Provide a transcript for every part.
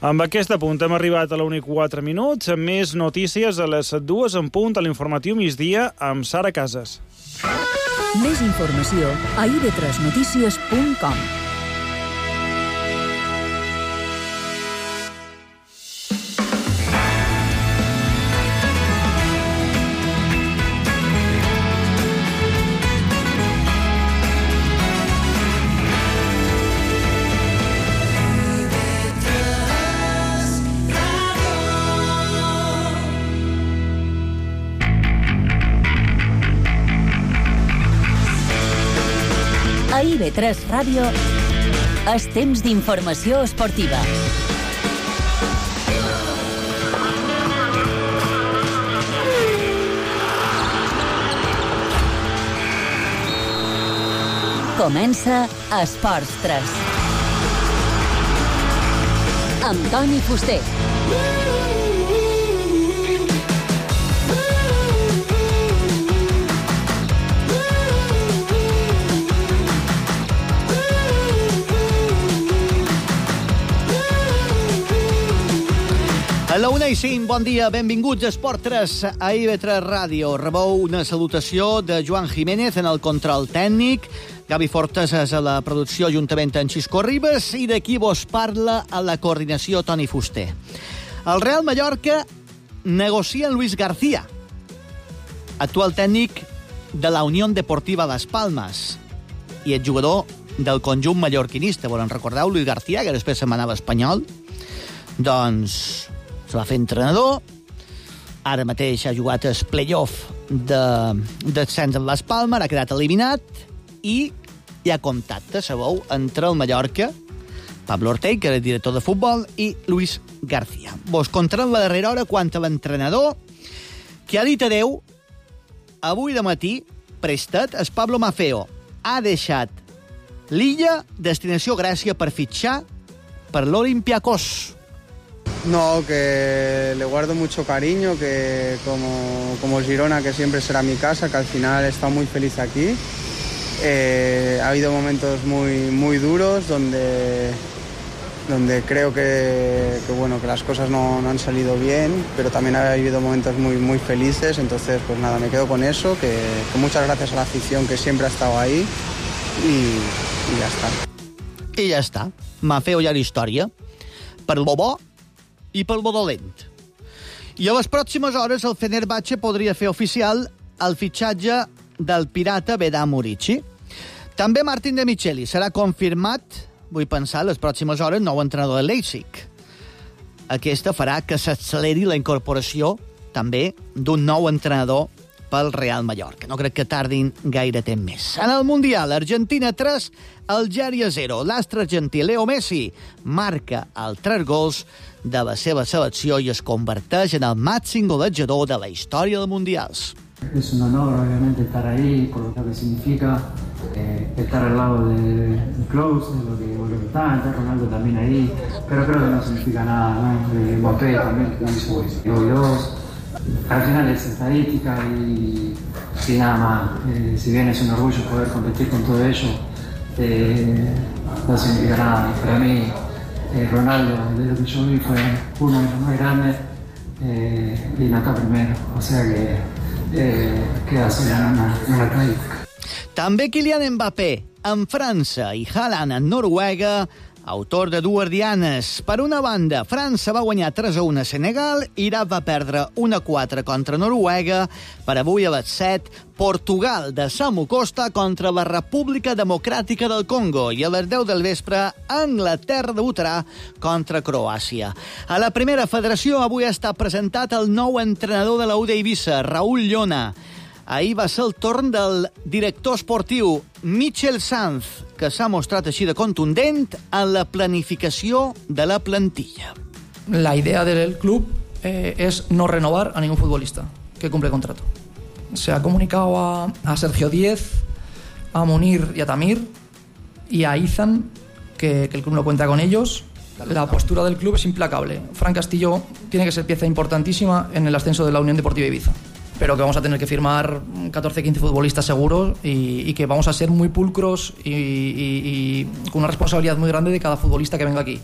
Amb aquest apunt hem arribat a la 1:04 minuts. Més notícies a les 2 en punt a l'informatiu migdia amb Sara Casas. Més informació a ib3notícies.com. A IB3 Ràdio és temps d'informació esportiva. Comença Esports 3. Amb Toni Fuster. A la 1:05, bon dia, benvinguts a Esport 3 a IB3 Ràdio. Rebeu una salutació de Joan Jiménez en el control tècnic, Gavi Fortes a la producció juntament amb Xisco Ribas i d'aquí vos parla a la coordinació Toni Fuster. El Real Mallorca negocia amb Luis García, actual tècnic de la Unió Deportiva Las Palmas i el jugador del conjunt mallorquinista. Volen recordar Luis García, que després se'n anava espanyol? Doncs se va fer entrenador, ara mateix ha jugat el playoff d'ascens amb Las Palmas, ha quedat eliminat i hi ha contacte, sabeu, entre el Mallorca, Pablo Ortega, que era el director de futbol, i Luis García. Vos contarem la darrera hora quant a l'entrenador, que ha dit adeu avui de matí, prestat, el Pablo Maffeo ha deixat l'illa, destinació Gràcia, per fitxar per l'Olympiacos. No, que le guardo mucho cariño, que como el Girona, que siempre será mi casa, que al final he estado muy feliz aquí. Ha habido momentos muy duros donde creo que las cosas no han salido bien, pero también ha habido momentos muy felices. Entonces, pues nada, me quedo con eso, que muchas gracias a la afición que siempre ha estado ahí y ya está. I ja està. Maffeo ja la història. Per lo bo i pel bo dolent. I a les pròximes hores el Fenerbahce podria fer oficial el fitxatge del pirata Vedran Murici. També Martin de Micheli serà confirmat, vull pensar, a les pròximes hores, nou entrenador de Leipzig. Aquesta farà que s'acceleri la incorporació també d'un nou entrenador pel Real Mallorca. No crec que tardin gaire temps més. En el Mundial, Argentina 3, Algèria 0. L'astre argentí Leo Messi marca els 3 gols de la seva selecció i es converteix en el màxim golejador de la història dels Mundials. Es un honor, obviamente, estar ahí, por lo que significa estar al lado de Klose, lo que está Ronaldo también ahí, pero creo que no significa nada, ¿no? Mbappé también, que hizo dos. Al final es estadística y nada más. Si bien es un orgullo poder competir con todo ello, no significa nada. Para mí, Ronaldo, desde lo que yo vi, fue uno de los más grandes y Naka primero. O sea que queda sola una estadística. També Kylian Mbappé en França i Haaland en Noruega, autor de dues dianes. Per una banda, França va guanyar 3-1 a Senegal, Iraq va perdre 1-4 contra Noruega, per avui a les 7, Portugal de Samu Costa contra la República Democràtica del Congo i a les 10 del vespre, Anglaterra debutarà contra Croàcia. A la primera federació avui ha estat presentat el nou entrenador de la UD Eivissa, Raúl Llona. Ahir va ser el torn del director esportiu Michel Sanz, que s'ha mostrat així de contundent en la planificació de la plantilla. La idea del club es no renovar a ningún futbolista que cumple contrato. Se ha comunicado a Sergio Díez, a Munir y a Tamir y a Izan que el club no cuenta con ellos. La postura del club es implacable. Fran Castillo tiene que ser pieza importantísima en el ascenso de la Unión Deportiva Ibiza, pero que vamos a tener que firmar 14-15 futbolistas seguros y que vamos a ser muy pulcros y con una responsabilidad muy grande de cada futbolista que venga aquí.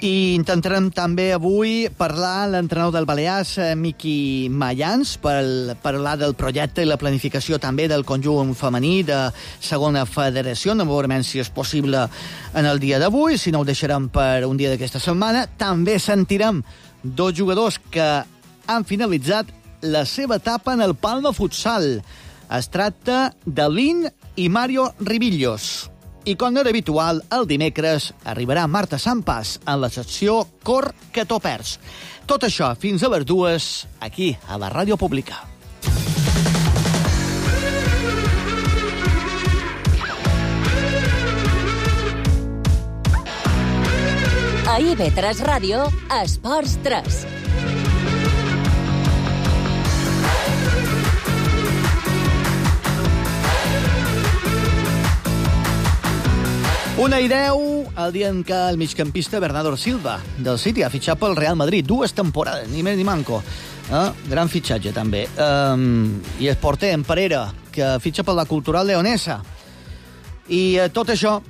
I intentarem també avui parlar amb l'entrenador del Balears, Miqui Mayans, per parlar del projecte i la planificació també del conjunt femení de segona federació. No veurem si és possible en el dia d'avui, si no ho deixarem per un dia d'aquesta setmana. També sentirem dos jugadors que han finalitzat la seva etapa en el Palma Futsal. Es tracta de Lin i Mario Ribillos. I com no era habitual, el dimecres arribarà Marta Sampas en la secció Cor que t'ho perds. Tot això fins a les 2, aquí, a la Ràdio Pública. A IB3 Ràdio, Esports 3. Una i 10, el dia en què el migcampista Bernardo Silva, del City, ha fitxat pel Real Madrid. 2 temporades, ni més ni manco. Gran fitxatge, també. I el porter, en Parera, que fitxa per la Cultural Leonesa. I tot això,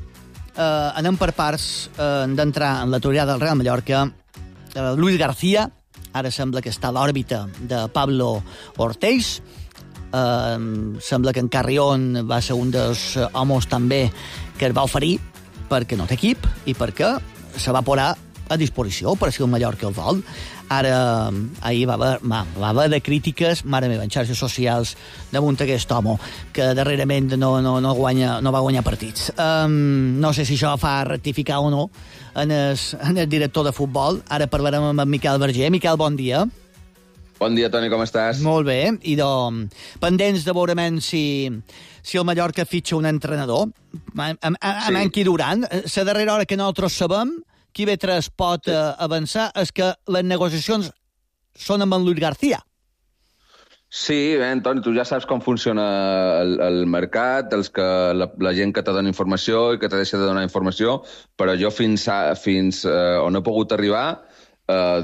anem per parts, d'entrar en la teoria del Real Mallorca. Luis García, ara sembla que està a l'òrbita de Pablo Ortiz. Sembla que en Carrión va ser un dels homes també que es va oferir perquè no té equip i perquè se va posar a disposició per si el Mallorca el vol. Ara, ahir va haver de crítiques, mare meva, en xarxes socials damunt aquest home, que darrerament no va guanyar partits. No sé si això fa rectificar o no en el director de futbol. Ara parlarem amb en Miquel Verger. Miquel, bon dia. Bon dia, Toni, com estàs? Molt bé. I pendents de veure si el Mallorca fitxa un entrenador. Amb Enki Duran. La darrera hora que nosaltres sabem, qui IB3 pot avançar, és que les negociacions són amb en Luis García. Sí, bé, Toni, tu ja saps com funciona el mercat, la gent que te dona informació i que te deixa de donar informació, però jo fins on he pogut arribar,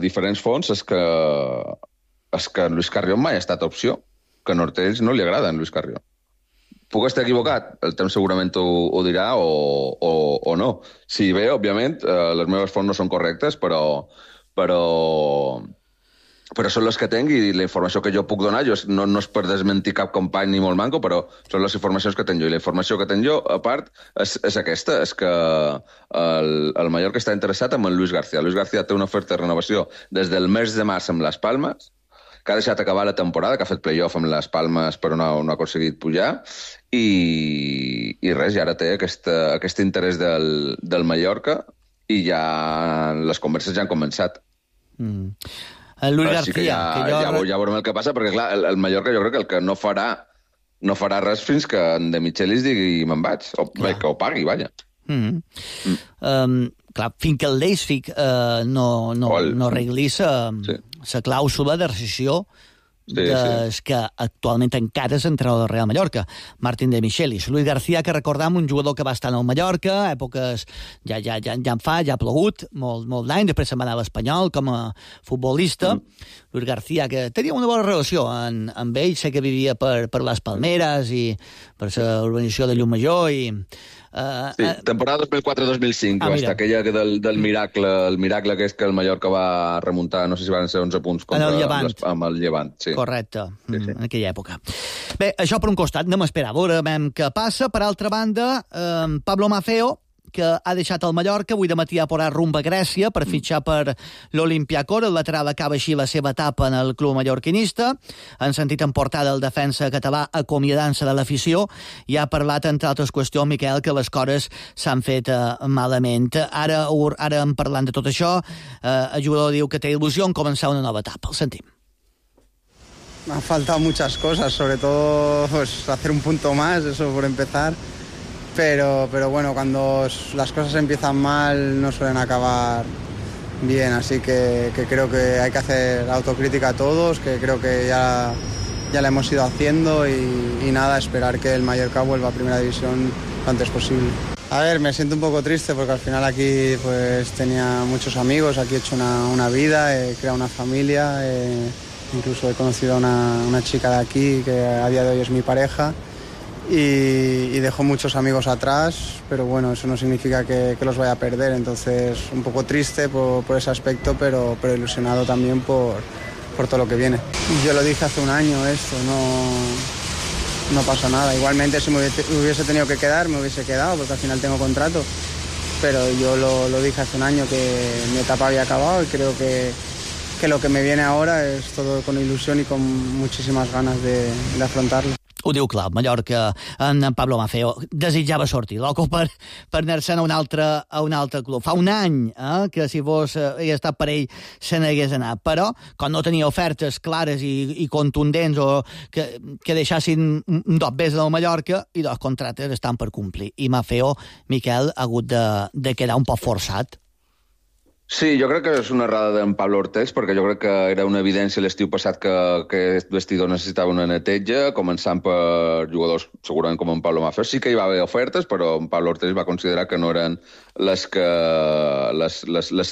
diferents fonts, és que Luis Carrión mai ha estat opció, que a Nortells no li agrada en Luis Carrión. Puc estar equivocat? El temps segurament ho dirà o no. Sí, bé, òbviament, les meves fonts no són correctes, però són les que tinc i la informació que jo puc donar no és per desmentir cap company ni molt manco, però són les informacions que tinc jo. I la informació que tinc jo, a part, és aquesta, és que el Mallorca està interessat en el Luis García. Luis García té una oferta de renovació des del mes de març amb les Palmes, que ha deixat acabar la temporada, que ha fet playoff amb les Palmes però no ha aconseguit pujar, i res, i ara té aquest interès del Mallorca i ja les converses ja han començat. Luis García... Ja veurem el que passa, perquè clar, el Mallorca jo crec que el que no farà res fins que en De Michelis digui me'n vaig, que ho pagui, vaja. Clar, fins que el Leipzig no arregli la clàusula de rescissió que actualment encara és entrenador del Real Mallorca, Martín de Michelis. Luis García, que recordam, un jugador que va estar en el Mallorca, èpoques ja ha plogut molt d'any, després se'n va anar a l'Espanyol com a futbolista. Luis García, que tenia una bona relació amb ell, sé que vivia per les Palmeres i per la urbanització de Llumajor i... Sí, temporada 2004-2005, va estar aquella del miracle, el miracle que és que el Mallorca va remuntar, no sé si van ser 11 punts amb el Llevant. Sí. Correcte, en aquella època. Bé, això per un costat, anem a esperar, veurem què passa. Per altra banda, Pablo Maffeo, que ha deixat el Mallorca, avui de matí ha posat rumb a Grècia per fitxar per l'Olympiacos. El lateral acaba així la seva etapa en el club mallorquinista. Han sentit en portada el defensa català acomiadant-se de l'afició i ha parlat, entre altres qüestions, Miquel, que les coses s'han fet malament. Ara parlant de tot això, el jugador diu que té il·lusió en començar una nova etapa. El sentim. Me han faltado muchas cosas, sobre todo pues, hacer un punto más, eso por empezar. Pero bueno, cuando las cosas empiezan mal no suelen acabar bien, así que creo que hay que hacer autocrítica a todos, que creo que ya la hemos ido haciendo y nada, esperar que el Mallorca vuelva a Primera División lo antes posible. A ver, me siento un poco triste porque al final aquí pues tenía muchos amigos, aquí he hecho una vida, he creado una familia, incluso he conocido a una chica de aquí que a día de hoy es mi pareja. y dejó muchos amigos atrás, pero bueno, eso no significa que los vaya a perder, entonces un poco triste por ese aspecto, pero ilusionado también por todo lo que viene. Yo lo dije hace un año esto, no pasa nada. Igualmente si me hubiese tenido que quedar, me hubiese quedado, porque al final tengo contrato, pero yo lo dije hace un año que mi etapa había acabado y creo que lo que me viene ahora es todo con ilusión y con muchísimas ganas de afrontarlo. Ho diu clar, Mallorca, en Pablo Maffeo desitjava sortir, loco per anar-se'n a un altre club. Fa un any que si hagués estat per ell se n'hagués anat, però quan no tenia ofertes clares i contundents o que deixassin un dos bes del Mallorca i dos contractes estan per complir. I Maffeo, Miquel, ha hagut de quedar un poc forçat. Sí, jo crec que és una errada d'en Pablo Ortex, perquè jo crec que era una evidència l'estiu passat que aquest vestidor necessitava una neteja, començant per jugadors segurament com en Pablo Maffeo. Sí que hi va haver ofertes, però en Pablo Ortex va considerar que no eren les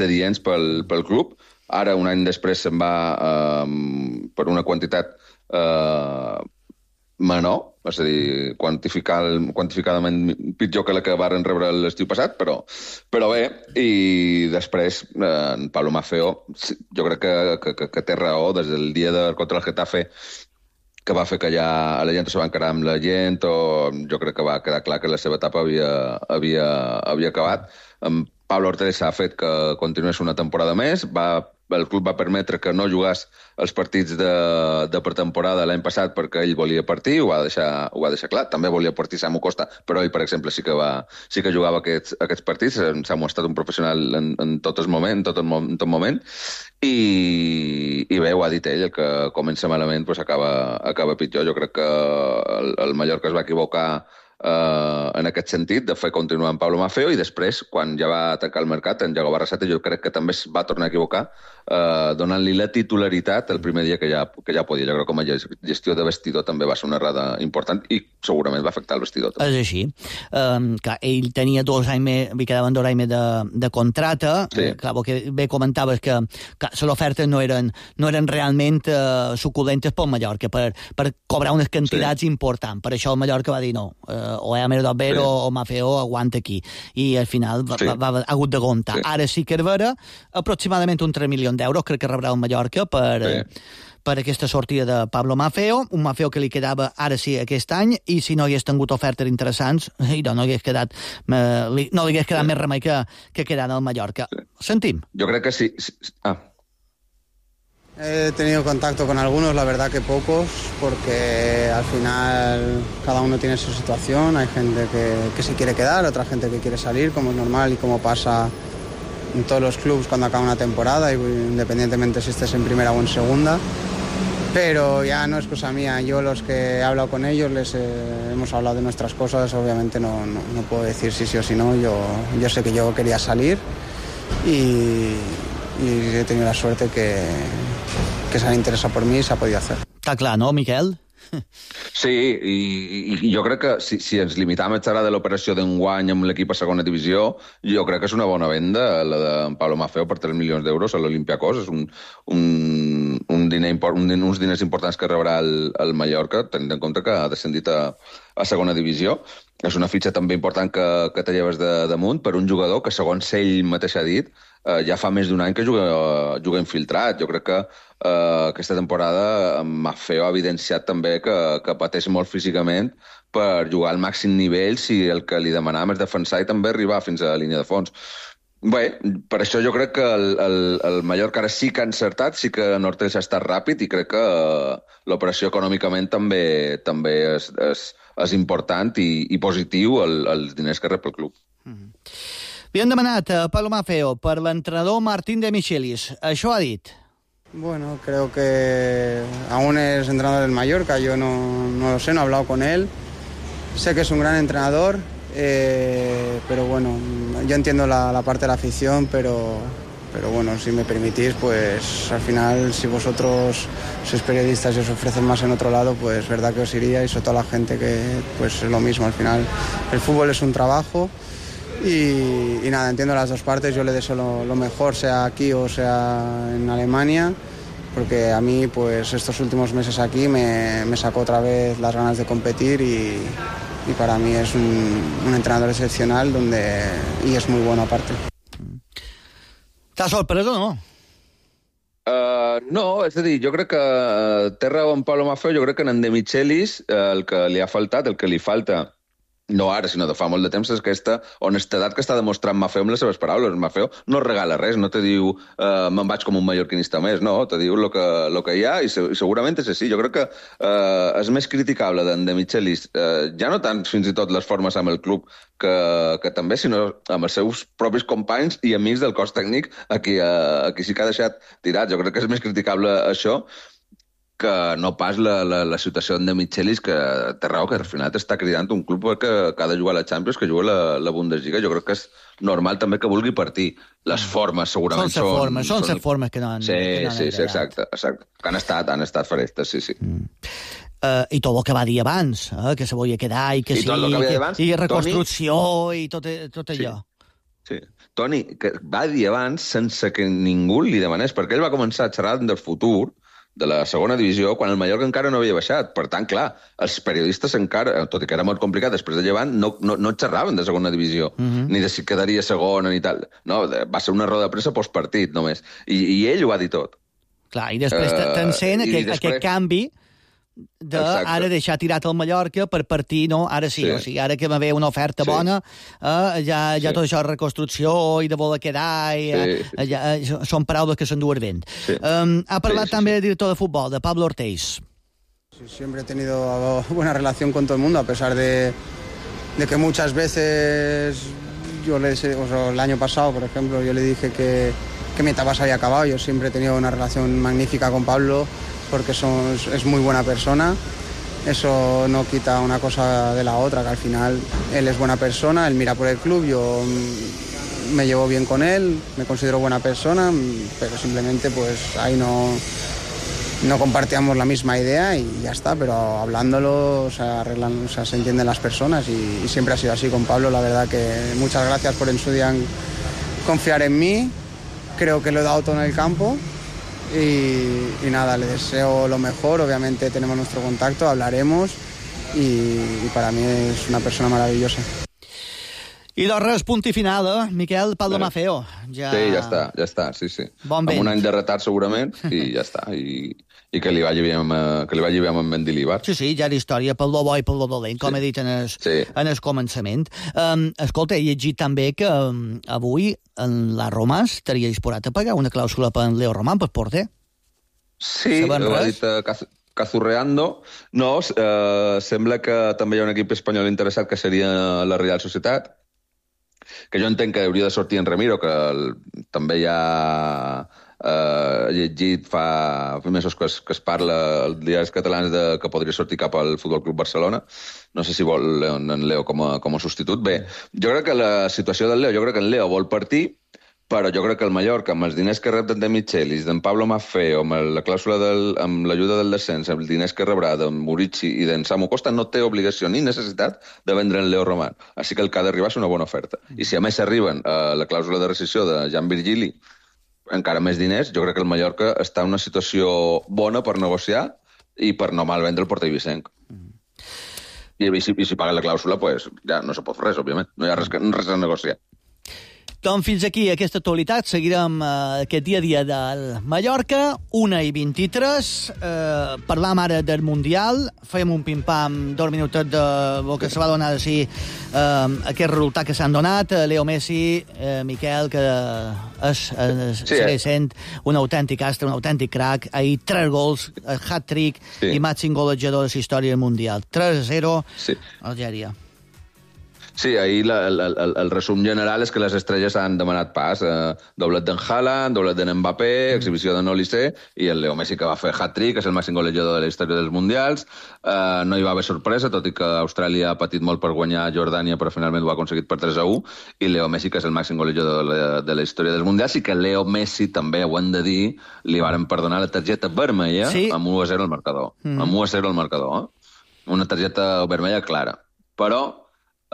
adients pel club. Ara, un any després, se'n va per una quantitat menor, és a dir, quantificadament pitjor que la que varen rebre l'estiu passat, però bé, i després en Pablo Maffeo jo crec que té raó des del dia contra el Getafe, que va fer que ja la gent se va encarar amb la gent, o jo crec que va quedar clar que la seva etapa havia acabat. En Pablo Ortega ha fet que continués una temporada més, el club va permetre que no jugàs els partits de pretemporada l'any passat perquè ell volia partir, ho va deixar clar. També volia partir Samu Costa, però ell, per exemple, sí que jugava aquests partits. Samu ha estat un professional en tot moment. I bé, ho ha dit ell, el que comença malament acaba pitjor. Jo crec que el Mallorca es va equivocar en aquest sentit, de fer continuar amb Pablo Maffeo, i després, quan ja va tancar el mercat, en Iago Barrasate, jo crec que també es va tornar a equivocar donant-li la titularitat el primer dia que ja podia. Jo crec que com a gestió de vestidor també va ser una errada important i segurament va afectar el vestidor. És així. Clar, ell tenia 2 anys més, li quedaven 2 anys més de contracte. Sí. Clar, el que bé comentaves que les ofertes no eren realment suculentes pel Mallorca, per cobrar unes quantitats importants. Per això el Mallorca va dir no, o Emer Dobber o Maffeo aguanta aquí. I al final ha hagut de comptar. Sí. Ara sí que és vera, aproximadament un 3 milions d'euros crec que rebrà el Mallorca per aquesta sortida de Pablo Maffeo, un Maffeo que li quedava ara sí aquest any, i si no hagués tingut ofertes interessants no hagués quedat més remei que quedar al Mallorca. Sentim. Jo crec que sí. He tenido contacto con algunos, la verdad que pocos, porque al final cada uno tiene su situación. Hay gente que se quiere quedar, otra gente que quiere salir, como es normal y como pasa en todos los clubes cuando acaba una temporada, independientemente si estés en primera o en segunda. Pero ya no es cosa mía. Yo, los que he hablado con ellos, hemos hablado de nuestras cosas. Obviamente no puedo decir sí o sí no. Yo sé que yo quería salir y he tenido la suerte que se han interesado por mí y se ha podido hacer. Està clar, no, Miquel? Sí, i jo crec que si ens limitam a xerrar de l'operació d'enguany amb l'equip a segona divisió, jo crec que és una bona venda la de Pablo Maffeo per 3 milions d'euros a l'Olympiacos. És uns diners importants que rebrà el Mallorca, tenint en compte que ha descendit a segona divisió. És una fitxa també important que te lleves damunt per un jugador que, segons ell mateix ha dit, ja fa més d'un any que juga infiltrat. Jo crec que aquesta temporada Maffeo ha evidenciat també que pateix molt físicament per jugar al màxim nivell si el que li demanàvem és defensar i també arribar fins a la línia de fons. Bé, per això jo crec que el Mallorca ara sí que ha encertat, sí que Ortega ha estat ràpid i crec que l'operació econòmicament també és important i positiu els diners que rep el club. Li han demanat a Pablo Maffeo per l'entrenador Martín de Michelis. Això ha dit. Bueno, creo que aún es entrenador del Mallorca, yo no lo sé, no he hablado con él. Sé que es un gran entrenador, pero bueno, yo entiendo la parte de la afición, pero bueno, si me permitís, pues al final, si vosotros sois periodistas y os ofrecen más en otro lado, pues verdad que os iría, y sobre todo la gente que pues es lo mismo. Al final, el fútbol es un trabajo. Y nada, entiendo las dos partes. Yo le deseo lo mejor, sea aquí o sea en Alemania, porque a mí pues estos últimos meses aquí me sacó otra vez las ganas de competir y y para mí es un entrenador excepcional y es muy bueno aparte. T'ha sorprès o no? No, és a dir, jo crec que té raó en Pablo Maffeo, jo crec que en De Michelis el que li ha faltat, el que li falta, no ara, sinó de fa molt de temps, és aquesta honestedat que està demostrant Maffeo amb les seves paraules. Maffeo no regala res, no te diu me'n vaig com un mallorquinista més, no, te diu lo que hi ha i segurament és així. Jo crec que és més criticable d'en De Michelis, ja no tant fins i tot les formes amb el club que també, sinó amb els seus propis companys i amics del cos tècnic a qui sí que ha deixat tirat. Jo crec que és més criticable això que no pas la situació de Michelis, que té raó, que al final t'està cridant un club que ha de jugar a la Champions, que juga la Bundesliga. Jo crec que és normal també que vulgui partir. Les formes segurament són... Són les formes que no han... Sí, exacte. Que han estat farestes, sí. I tot el que va dir abans, que se volia quedar i que sí, i reconstrucció i tot allò. Sí. Toni, que va dir abans sense que ningú li demanés, perquè ell va començar a xerrar del futur de la segona divisió quan el Mallorca encara no havia baixat. Per tant, clar, els periodistes encara, tot i que era molt complicat, després de Llevant, no xerraven de segona divisió, ni de si quedaria segona ni tal. No, va ser una roda de premsa postpartit, només. I ell ho va dir tot. Clar, i després t'encén aquest canvi ara deixar tirat el Mallorca per partir, no? Ara sí. O sigui, ara que va haver una oferta bona, ja tot això de reconstrucció i de voler quedar, són paraules que s'enduen vent. Ha parlat també el director de futbol, de Pablo Ortiz. Siempre he tenido buena relación con todo el mundo, a pesar de que muchas veces el año pasado, por ejemplo, yo le dije que mi etapa se había acabado. Yo siempre he tenido una relación magnífica con Pablo, porque es muy buena persona. Eso no quita una cosa de la otra, que al final él es buena persona, él mira por el club, yo me llevo bien con él, me considero buena persona, pero simplemente pues ahí no compartíamos la misma idea y ya está, pero hablándolo se entienden las personas y siempre ha sido así con Pablo. La verdad que muchas gracias por en su día confiar en mí, creo que lo he dado todo en el campo. Y nada, le deseo lo mejor, obviamente tenemos nuestro contacto, hablaremos y para mí es una persona maravillosa. I doncs res, punt i final, Miquel, Pablo Maffeo. Sí, ja està, sí. Bon vent. Amb un any de retard segurament i ja està, i que li vagi bé amb Mendilibar. Sí, ja era història pel lo bo i pel lo dolent, com he dit en el començament. Escolta, he llegit també que avui en la Roma estaria disposat a pagar una clàusula per en Leo Román per porter. Sí, ho ha dit Cazurreando. No, sembla que també hi ha un equip espanyol interessat que seria la Real Societat, que jo entenc que hauria de sortir en Ramiro, que també ja llegit fa mesos que es parla als diaris catalans que podria sortir cap al Futbol Club Barcelona. No sé si vol en Leo com a substitut. Bé, jo crec que la situació del Leo, jo crec que en Leo vol partir, però jo crec que el Mallorca, amb els diners que rep de Michelis, d'en Pablo Maffeo, amb la clàusula amb l'ajuda del descens, amb els diners que rebrà d'en Murici i d'en Samu Costa, no té obligació ni necessitat de vendre en Leo Román. Així que el que ha d'arribar és una bona oferta. I si a més arriben a la clàusula de rescissió de Jan Virgili, encara més diners, jo crec que el Mallorca està en una situació bona per negociar i per no malvendre el porter Vicenc. I si paguen la clàusula, pues ja no se pot fer res, òbviament. No hi ha res a negociar. Doncs fins aquí aquesta actualitat. Seguirem aquest dia a dia del Mallorca, 1:23. Parlam ara del Mundial. Fem un pim-pam, 2 minuts del que se va donar aquest resultat que s'han donat. Leo Messi, Miquel, que segueix sent un autèntic astre, un autèntic crack. Ahir 3 gols, hat-trick i màxim golejador de la història del Mundial. 3-0, Algèria. Sí, ahir el resum general és que les estrelles han demanat pas. Doblet d'en Haaland, doblet d'en Mbappé, exhibició de Olise i el Leo Messi, que va fer hat-trick, és el màxim golejador de la història dels Mundials. No hi va haver sorpresa, tot i que Austràlia ha patit molt per guanyar Jordània, però finalment ho ha aconseguit per 3-1. I Leo Messi, que és el màxim golejador de la història dels Mundials, i que Leo Messi, també ho hem de dir, li varen perdonar la targeta vermella amb 1-0 al marcador. Amb 1-0 al marcador. Una targeta vermella clara. Però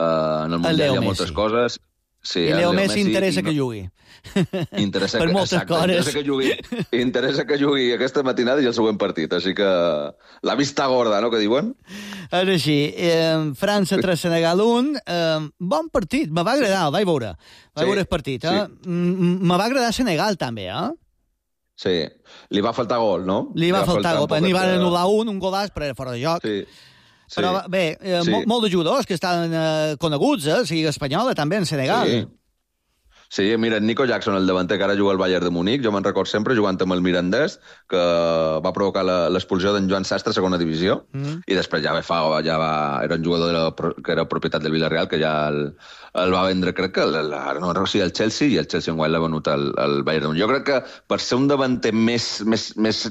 en el Mundial hi ha moltes coses Sí, I Leo Messi interessa que jugui. Interessa per moltes coses. Interessa que jugui aquesta matinada i el següent partit, així que la vista gorda, no?, que diuen. Ara sí, França 3, Senegal 1, bon partit, me va agradar, el vaig veure. Vaig veure el partit, eh? Sí. Me va agradar Senegal, també, eh? Sí, li va faltar gol, no? Li va faltar gol, n'hi van anul·lar un golaç, però era fora de joc. Sí. Però bé, molt de jugadors que estan coneguts, sigui espanyola també en Senegal. Sí, mira, Nico Jackson, el davanter que ara juga al Bayern de Múnich, jo me'n record sempre jugant amb el Mirandès, que va provocar l'expulsió d'en Joan Sastre a segona divisió, i després ja era un jugador que era propietat del Villarreal, que ja el va vendre, crec que el Chelsea, i el Chelsea enguany l'ha venut al Bayern de Múnich. Jo crec que per ser un davanter més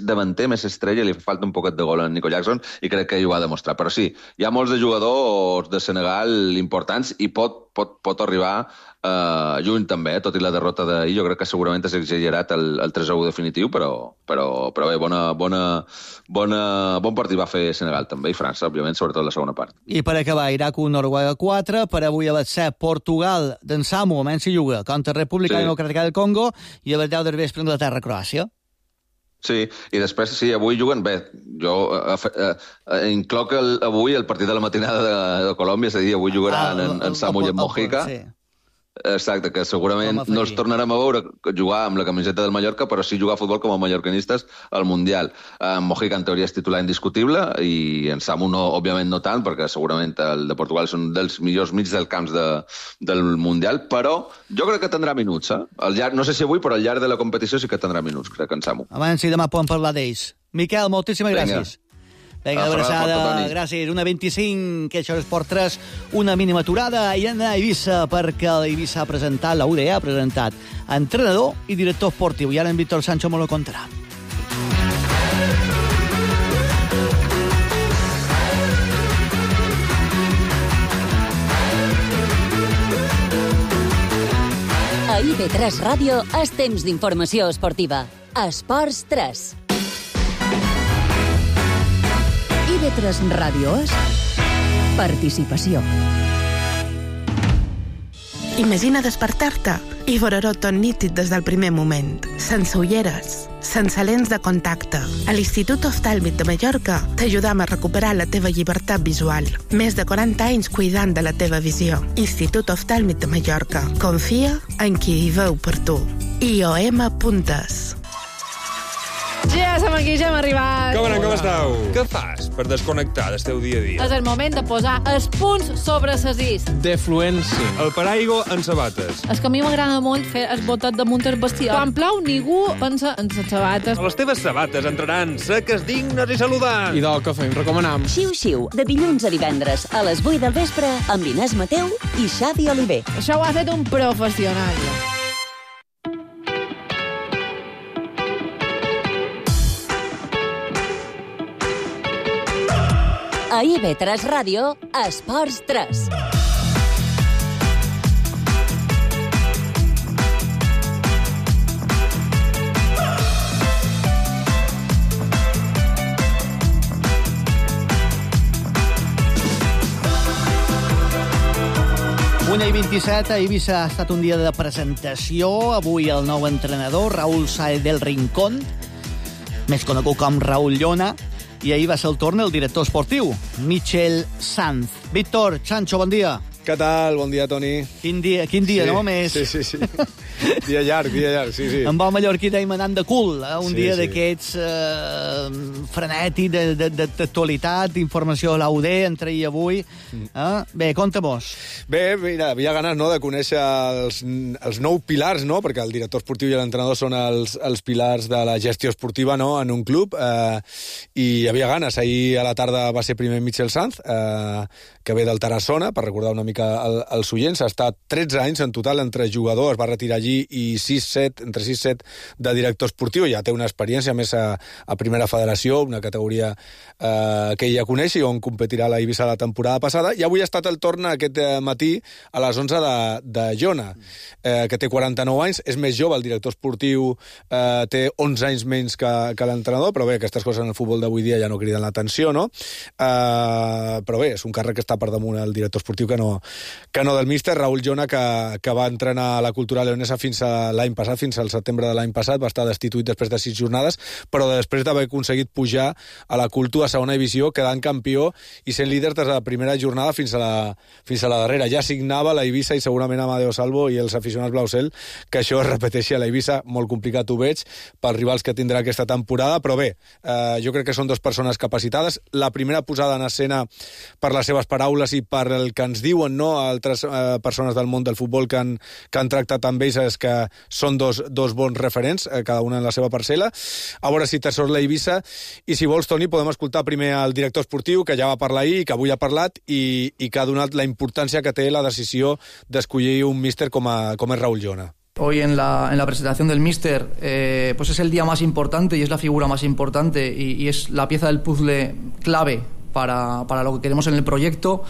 davanter, més estrella, li falta un poquet de gol a Nico Jackson, i crec que hi ho ha demostrat. Però sí, hi ha molts de jugadors de Senegal importants, i pot arribar juny també, tot i la derrota d'ahir. Jo crec que segurament és exagerat el 3-1 definitiu, però bé, bon partit va fer Senegal també, i França, òbviament, sobretot la segona part. I per acabar, Iraq 1, Noruega 4, per avui a les 7, Portugal d'en Samu, a Mensi Juga, contra República Democràtica del Congo, i a les 10 del vespre, Anglaterra, Croàcia. Sí, i després, sí, avui juguen bé. Jo incloc avui el partit de la matinada de Colòmbia, és a dir, avui jugaran en Samu i en Mojica. Sí. Exacte, que segurament no els tornarem a veure jugar amb la camiseta del Mallorca, però sí jugar a futbol com a mallorcanistes al Mundial. Mojica, en teoria, és titular indiscutible, i en Samu, òbviament, no tant, perquè segurament el de Portugal és un dels millors mig del camps del Mundial, però jo crec que tindrà minuts. No sé si avui, però al llarg de la competició sí que tindrà minuts, crec, en Samu. Abans sí, demà podem parlar d'ells. Miquel, moltíssimes gràcies. Vinga, abraçada, gràcies. 1:25, que això és Esport 3, una mínima aturada, i anem a Eivissa, perquè l'Eivissa ha presentat, la UDE ha presentat entrenador i director esportiu, i ara en Víctor Sancho me lo contarà. A IB3 Ràdio és temps d'informació esportiva. Esports 3. IB3 Ràdio és participació. Imagina despertar-te i veure-ho tot nítid des del primer moment. Sense ulleres, sense lents de contacte. A l'Institut Oftàlmic de Mallorca t'ajudam a recuperar la teva llibertat visual. Més de 40 anys cuidant de la teva visió. Institut Oftàlmic de Mallorca. Confia en qui hi veu per tu. IOM.es. Ja som aquí, ja hem arribat. Com anem, com esteu? Què fas per desconnectar del teu dia a dia? És el moment de posar els punts sobre les is. Defluència. El paraigua en sabates. És que a mi m'agrada molt fer el botet damunt el vestidor. Quan plou, ningú pensa en les sabates. Les teves sabates entraran seques, dignes i saludants. I del que fem, recomanam. Xiu-xiu, de dilluns a divendres, a les 8 del vespre, amb Inés Mateu i Xavi Oliver. Això ho ha fet un professional. A IB3 Ràdio, Esports 3. Una i 27, a Eivissa ha estat un dia de presentació. Avui el nou entrenador, Raúl Sáez del Rincón, més conegut com Raúl Llona, i ahir va ser el torn el director esportiu, Michel Sanz. Víctor, Sancho, bon dia. Què tal? Bon dia, Toni. Quin dia, sí, no? Més... Sí. Dia llarg, sí. En bon mallorquí deim anant de cul, un dia d'aquests frenètic, d'actualitat, d'informació a l'UD, entre ahir i avui. Bé, conta-mos. Bé, mira, havia ganes, no?, de conèixer els nou pilars, no?, perquè el director esportiu i l'entrenador són els pilars de la gestió esportiva, no?, en un club, i havia ganes. Ahir a la tarda va ser primer Michel Sanz, que ve del Tarassona, per recordar una mica els oients. Ha estat 13 anys en total entre jugadors, va retirar allí allí i 6-7, entre 6-7 de director esportiu. Ja té una experiència més a primera federació, una categoria que ell ja coneix i on competirà a la Eivissa la temporada passada. I avui ha estat el torn aquest matí a les 11 de Jona, que té 49 anys, és més jove, el director esportiu té 11 anys menys que l'entrenador, però bé, aquestes coses en el futbol d'avui dia ja no criden l'atenció, no? Però bé, és un càrrec que està per damunt el director esportiu que no del míster. Raúl Jona, que va entrenar a la Cultural Leonesa fins a l'any passat, fins al setembre de l'any passat, va estar destituït després de 6 jornades, però després d'haver aconseguit pujar a la Cultu a segona divisió, quedant campió i sent líder des de la primera jornada fins a la darrera. Ja signava la Eivissa i segurament Amadeo Salvo i els aficionats Blausel que això es repeteixi a la Eivissa. Molt complicat ho veig pels rivals que tindrà aquesta temporada, però bé, jo crec que són dues persones capacitades. La primera posada en escena per les seves paraules i per el que ens diuen, no, altres persones del món del futbol que han tractat amb ells, és que són dos bons referents, cada una en la seva parcel·la. A veure si te sort la Eivissa, i si vols, Toni, podem escoltar primer el director esportiu, que ja va parlar ahir, que avui ha parlat, i que ha donat la importància que té la decisió d'escollir un míster com és Raúl Jona. Hoy en la presentación del míster, pues es el día más importante y es la figura más importante y es la pieza del puzzle clave para lo que queremos en el proyecto.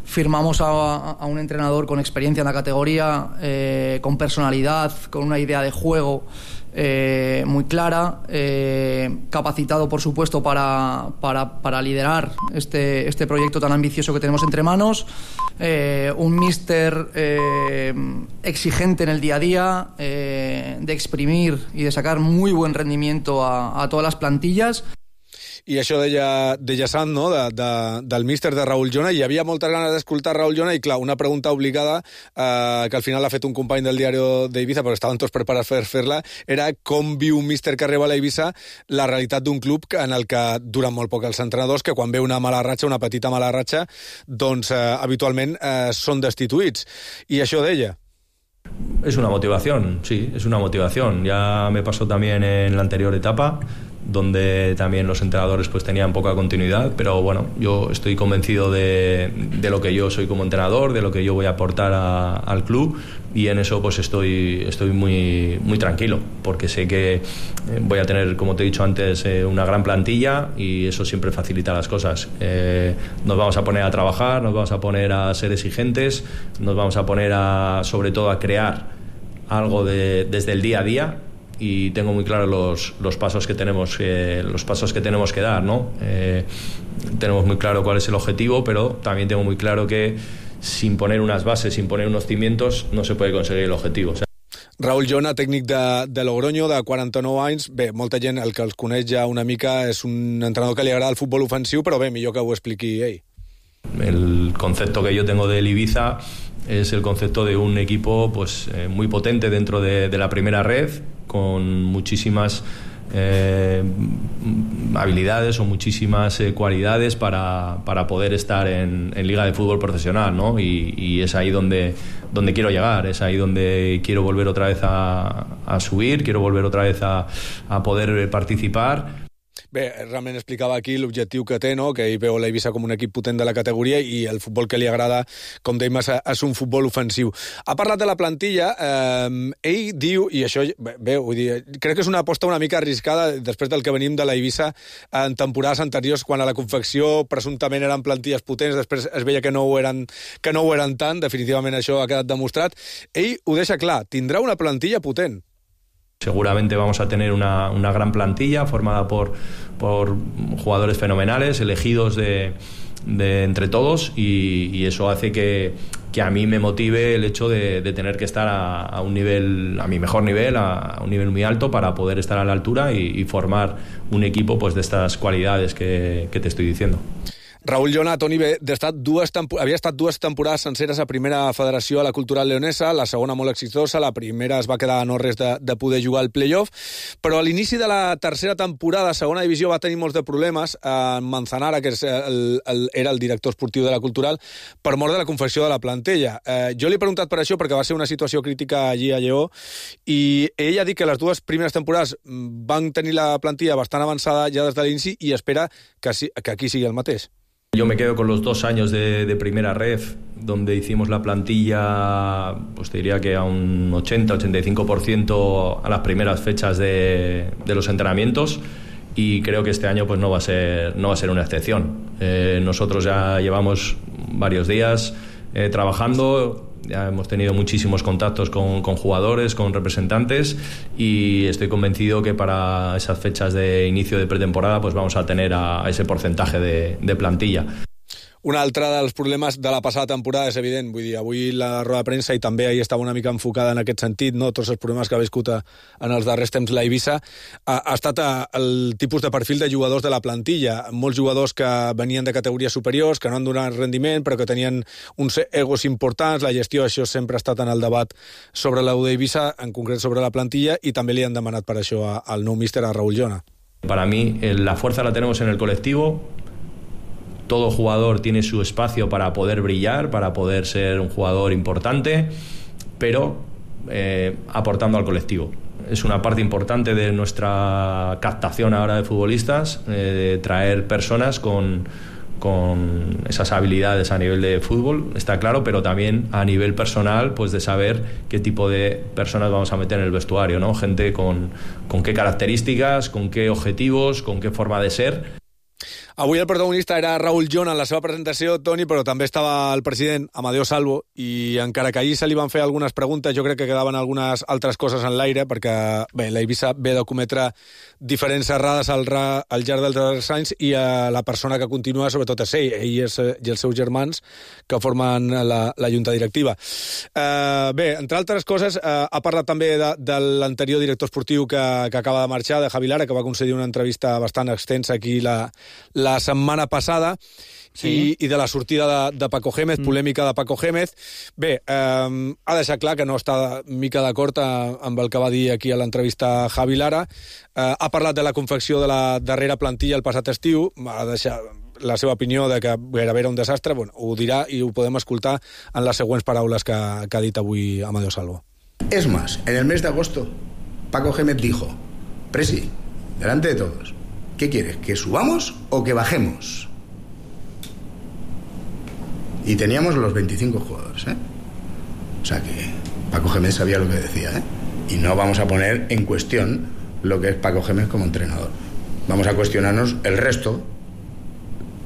Firmamos a un entrenador con experiencia en la categoría, con personalidad, con una idea de juego muy clara, capacitado, por supuesto, para liderar este proyecto tan ambicioso que tenemos entre manos. Un míster exigente en el día a día, de exprimir y de sacar muy buen rendimiento a todas las plantillas. I això deia Sant, no?, del míster de Raúl Jona. Hi havia moltes ganes d'escoltar Raúl Jona i, clar, una pregunta obligada que al final l'ha fet un company del diari d'Eivissa, perquè estaven tots preparats per fer-la, era com viu un míster que arriba a l'Eivissa la realitat d'un club en el que duren molt poc els entrenadors, que quan ve una mala ratxa, una petita mala ratxa, doncs habitualment són destituïts. I això deia. Es una motivación, sí, es una motivación. Ya me pasó también en la anterior etapa, donde también los entrenadores pues tenían poca continuidad, pero bueno, yo estoy convencido de lo que yo soy como entrenador, de lo que yo voy a aportar al club, y en eso pues estoy muy, muy tranquilo, porque sé que voy a tener, como te he dicho antes, una gran plantilla, y eso siempre facilita las cosas. Nos vamos a poner a trabajar, nos vamos a poner a ser exigentes, nos vamos a poner sobre todo a crear algo desde el día a día, y tengo muy claro los pasos que tenemos que dar, ¿no? Tenemos muy claro cuál es el objetivo, pero también tengo muy claro que sin poner unas bases, sin poner unos cimientos, no se puede conseguir el objetivo. O sea, Raúl Jona, tècnic de Logroño, de 49 anys. Bé, molta gent, el que els coneix ja una mica, és un entrenador que li agrada el futbol ofensiu, però bé, millor que ho expliqui ell. El concepto que yo tengo del Ibiza es el concepto de un equipo pues muy potente dentro de la primera red, con muchísimas habilidades o muchísimas cualidades para poder estar en Liga de Fútbol Profesional, ¿no? Y es ahí donde quiero llegar, es ahí donde quiero volver otra vez a subir, quiero volver otra vez a poder participar. Bé, realment explicava aquí l'objectiu que té, no?, que ell veu l'Eivissa com un equip potent de la categoria i el futbol que li agrada, com dèiem, és un futbol ofensiu. Ha parlat de la plantilla, ell diu, i això, bé, vull dir, crec que és una aposta una mica arriscada després del que venim de l'Eivissa en temporades anteriors, quan a la confecció presumptament eren plantilles potents, després es veia que no ho eren tant, definitivament això ha quedat demostrat. Ell ho deixa clar, tindrà una plantilla potent. Seguramente vamos a tener una gran plantilla formada por jugadores fenomenales, elegidos de entre todos, y eso hace que a mí me motive el hecho de tener que estar a un nivel, a mi mejor nivel, a un nivel muy alto, para poder estar a la altura y formar un equipo pues de estas cualidades que te estoy diciendo. Raúl Jona, Toni, havia estat dues temporades senceres a primera federació a la Cultural Leonesa, la segona molt exitosa, la primera es va quedar a no res de poder jugar al play-off, però a l'inici de la tercera temporada a segona divisió va tenir molts de problemes. Manzanara, que era el director esportiu de la Cultural, per mort de la confecció de la plantilla. Jo li he preguntat per això perquè va ser una situació crítica allí a Lleó, i ell ha dit que les dues primeres temporades van tenir la plantilla bastant avançada ja des de l'inici i espera que aquí sigui el mateix. Yo me quedo con los 2 años de primera ref, donde hicimos la plantilla, pues te diría que a un 80-85% a las primeras fechas de los entrenamientos, y creo que este año pues no va a ser una excepción. Nosotros ya llevamos varios días trabajando, ya hemos tenido muchísimos contactos con jugadores, con representantes, y estoy convencido que para esas fechas de inicio de pretemporada pues vamos a tener a ese porcentaje de plantilla. Un altre dels problemes de la passada temporada és evident, vull dir, avui la roda de premsa i també ahir estava una mica enfocada en aquest sentit, no? Tots els problemes que ha viscut en els darrers temps la Eivissa, ha estat el tipus de perfil de jugadors de la plantilla. Molts jugadors que venien de categories superiors, que no han donat rendiment, però que tenien uns egos importants. La gestió, això sempre ha estat en el debat sobre l'U d'Eivissa, en concret sobre la plantilla, i també li han demanat per això al nou míster, a Raúl Llona. Para mí, la fuerza la tenemos en el colectivo. Todo jugador tiene su espacio para poder brillar, para poder ser un jugador importante, pero aportando al colectivo. Es una parte importante de nuestra captación ahora de futbolistas, traer personas con esas habilidades a nivel de fútbol, está claro, pero también a nivel personal, pues de saber qué tipo de personas vamos a meter en el vestuario, ¿no? Gente con qué características, con qué objetivos, con qué forma de ser. Avui el protagonista era Raúl Llona en la seva presentació, Toni, però també estava el president Amadeo Salvo, i encara que ahir se li van fer algunes preguntes, jo crec que quedaven algunes altres coses en l'aire, perquè bé, la Eivissa ve de cometre diferents errades al llarg dels darrers anys, i la persona que continua sobretot és ell i els seus germans que formen la junta directiva. Bé, entre altres coses, ha parlat també de l'anterior director esportiu que acaba de marxar, de Javi Lara, que va concedir una entrevista bastant extensa aquí la setmana passada, sí. I de la sortida de Paco Gémez, polèmica de Paco Gémez. Bé, ha deixat clar que no està mica d'acord amb el que va dir aquí a l'entrevista Javi Lara. Ha parlat de la confecció de la darrera plantilla el passat estiu, ha deixat la seva opinió de que gairebé era un desastre. Bueno, ho dirà i ho podem escoltar en les següents paraules que ha dit avui Amadeo Salvo. Es más, en el mes de agosto, Paco Gémez dijo: Presi, delante de todos, ¿qué quieres? ¿Que subamos o que bajemos? Y teníamos los 25 jugadores, ¿eh? O sea que Paco Gémez sabía lo que decía, ¿eh? Y no vamos a poner en cuestión lo que es Paco Gémez como entrenador. Vamos a cuestionarnos el resto,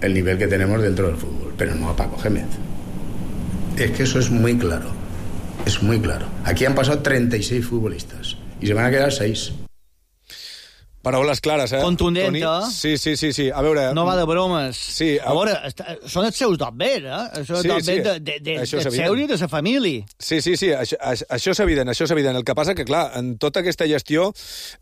el nivel que tenemos dentro del fútbol, pero no a Paco Gémez. Es que eso es muy claro. Es muy claro. Aquí han pasado 36 futbolistas y se van a quedar 6. Paraules clares, eh? Contundent, Toni? Sí. A veure... No va de bromes. Sí. A veure, són els seus dobbers, eh? Això és dobbers de seure i de la família. Sí, això és evident, El que passa que, clar, en tota aquesta gestió...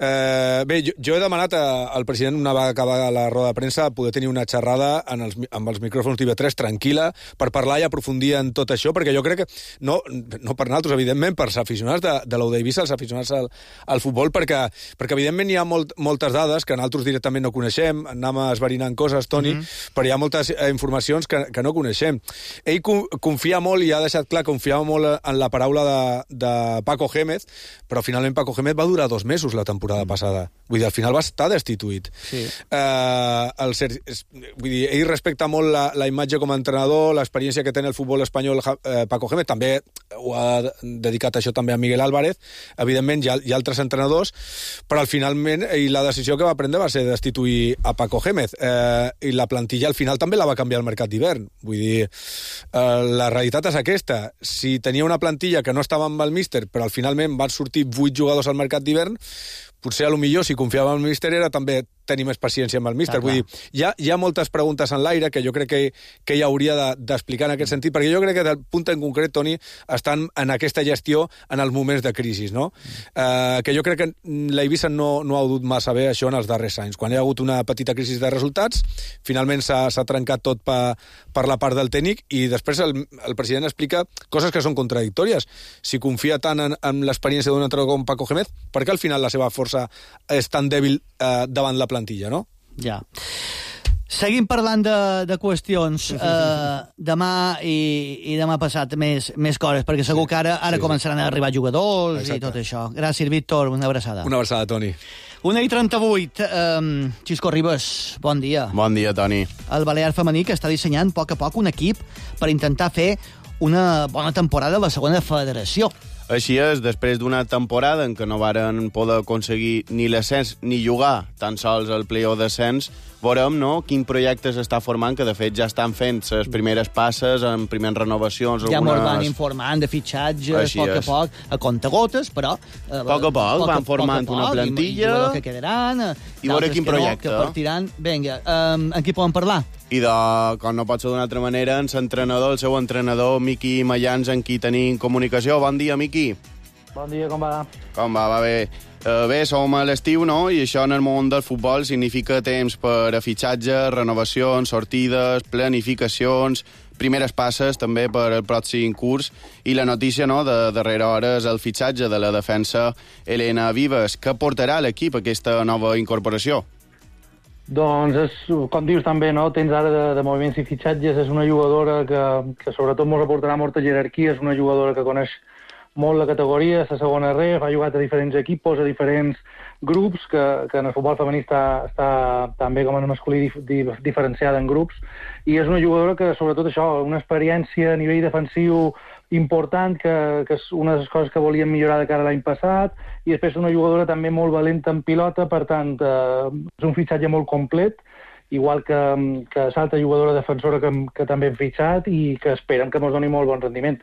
Bé, jo he demanat al president, una vegada acabar la roda de premsa, poder tenir una xerrada amb els micròfons d'IV3 tranquil·la, per parlar i aprofundir en tot això, perquè jo crec que, no per nosaltres, evidentment, per els aficionats de l'U d'Eivissa, els aficionats al futbol, perquè evidentment hi ha moltes dades que nosaltres directament no coneixem, anem esverinant coses, Toni, però hi ha moltes informacions que no coneixem. Ell confia molt, i ha deixat clar que confiava molt en la paraula de Paco Gémez, però finalment Paco Gémez va durar 2 mesos la temporada passada. Vull dir, al final va estar destituït. Sí. Vull dir, ell respecta molt la imatge com a entrenador, l'experiència que té en el futbol espanyol Paco Gémez, també ho ha dedicat això també a Miguel Álvarez, evidentment hi ha altres entrenadors, però finalment la decisió que va prendre va ser destituir a Paco Gémez, i la plantilla al final també la va canviar al mercat d'hivern. Vull dir, la realitat és aquesta. Si tenia una plantilla que no estava amb el míster, però al finalment van sortir 8 jugadors al mercat d'hivern, potser a lo millor si confiava en el míster era també tenir més paciència amb el míster. Vull dir, hi ha moltes preguntes en l'aire que jo crec que ell hauria d'explicar en aquest sentit, perquè jo crec que del punt en concret, Toni, estan en aquesta gestió en els moments de crisi, no? Que jo crec que la Eivissa no ha dut massa bé això en els darrers anys. Quan hi ha hagut una petita crisi de resultats, finalment s'ha trencat tot per la part del tècnic, i després el president explica coses que són contradictòries. Si confia tant en l'experiència d'un entrenador com Paco Gémez, per què al final la seva força és tan dèbil davant la plantilla, no? Ja. Seguim parlant de qüestions demà i demà passat més coses, perquè segur que ara començaran a arribar jugadors. Exacte. I tot això. Gràcies, Víctor. Una abraçada. Una abraçada, Toni. 1:38. Xisco Ribas, bon dia. Bon dia, Toni. El Balear femení que està dissenyant a poc un equip per intentar fer una bona temporada a la segona federació. Així és, després d'una temporada en què no varen poder aconseguir ni l'ascens ni jugar tan sols el play-off d'ascens, veurem, no?, quin projecte s'està formant, que de fet ja estan fent les primeres passes en primeres renovacions. Ja ens van informant de fitxatges a poc, a contagotes, però... A poc van formant una plantilla... I jugadors que quedaran... I veure quin projecte. Que partiran... Vinga, en qui poden parlar? I com no pot ser d'una altra manera, el seu entrenador, Miqui Mayans, en qui tenim comunicació. Bon dia, Miqui. Bon dia, com va? Com va? Va bé. Bé, som a l'estiu, no? I això en el món del futbol significa temps per a fitxatges, renovacions, sortides, planificacions, primeres passes també per al pròxim curs. I la notícia, no?, de darrera hora és el fitxatge de la defensa Elena Vives. Què portarà a l'equip aquesta nova incorporació? Doncs, com dius també, no? Tens ara de moviments i fitxatges. És una jugadora que sobretot ens aportarà molta jerarquia. És una jugadora que coneix molt la categoria, la segona ref, ha jugat a diferents equipos, a diferents grups, que en el futbol femení està també com en el masculí diferenciada en grups. I és una jugadora que, sobretot això, una experiència a nivell defensiu important, que és una de les coses que volíem millorar de cara a l'any passat, i després una jugadora també molt valenta en pilota, per tant, és un fitxatge molt complet, igual que l'altra jugadora defensora que també hem fitxat i que esperem que ens doni molt bon rendiment.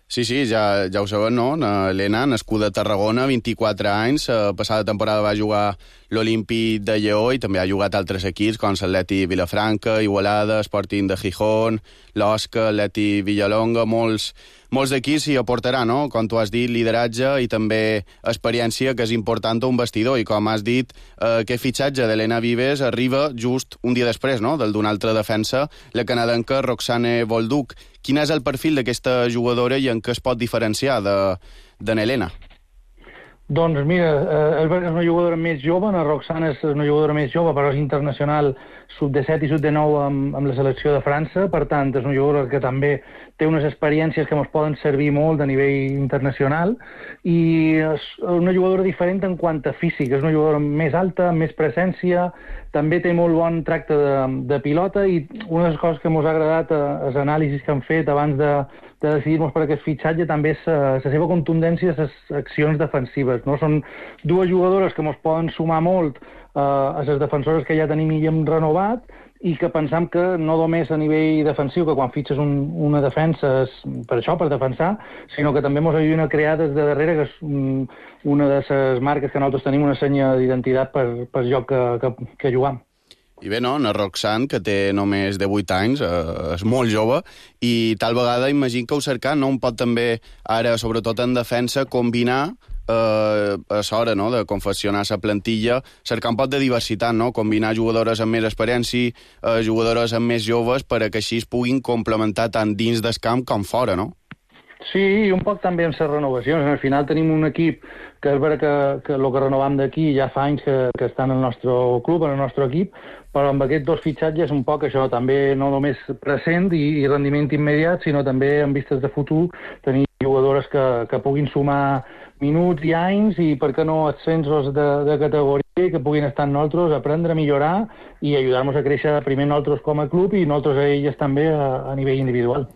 Sí, ja ho sabem, no? Elena, nascuda a Tarragona, 24 anys, passada temporada va jugar l'Olímpic de Lleó i també ha jugat a altres equips com l'Atleti Vilafranca, Igualada, Sporting de Gijón, l'Osca, l'Atleti Villalonga, molts equips s'hi aportarà, no? Com tu has dit, lideratge i també experiència, que és important a un vestidor. I com has dit, aquest fitxatge d'Elena Vives arriba just un dia després, no?, del d'una altra defensa, la canadenca Roxane Bolduc. Quin és el perfil d'aquesta jugadora i en què es pot diferenciar de n'Elena? Doncs mira, és una jugadora més jove, la Roxana és una jugadora més jove, però és internacional sub-17 i sub-19 amb la selecció de França, per tant, és una jugadora que també té unes experiències que ens poden servir molt a nivell internacional, i és una jugadora diferent en quant a físic, és una jugadora més alta, més presència, també té molt bon tracte de pilota, i una de les coses que ens ha agradat, els anàlisis que han fet abans de decidir-nos per aquest fitxatge, també és la seva contundència a les accions defensives, no? Són dues jugadores que ens poden sumar molt a les defensores que ja tenim i hem renovat, i que pensam que no només a nivell defensiu, que quan fitxes una defensa és per això, per defensar, sinó que també ens ajuden a crear des de darrere, que és una de les marques que nosaltres tenim, una senya d'identitat per joc que jugam. I bé, no, la Roxane, que té només 18 anys, és molt jove, i tal vegada imagino que ho cercant, no? Un pot també, ara, sobretot en defensa, combinar a l'hora, no?, de confeccionar la plantilla, cercar un pot de diversitat, no?, combinar jugadores amb més experiència, jugadores amb més joves, perquè així es puguin complementar tant dins del camp com fora, no? Sí, i un poc també amb les renovacions. Al final tenim un equip que és vera que el que renovam d'aquí ja fa anys que estan en el nostre club, en el nostre equip, però amb aquests dos fitxatges un poc això, també no només present i rendiment immediat, sinó també en vistes de futur, tenir jugadores que puguin sumar minuts i anys, i per què no ascensos de categoria, que puguin estar nosaltres, aprendre a millorar i ajudar-nos a créixer primer nosaltres com a club i nosaltres a elles també a nivell individual.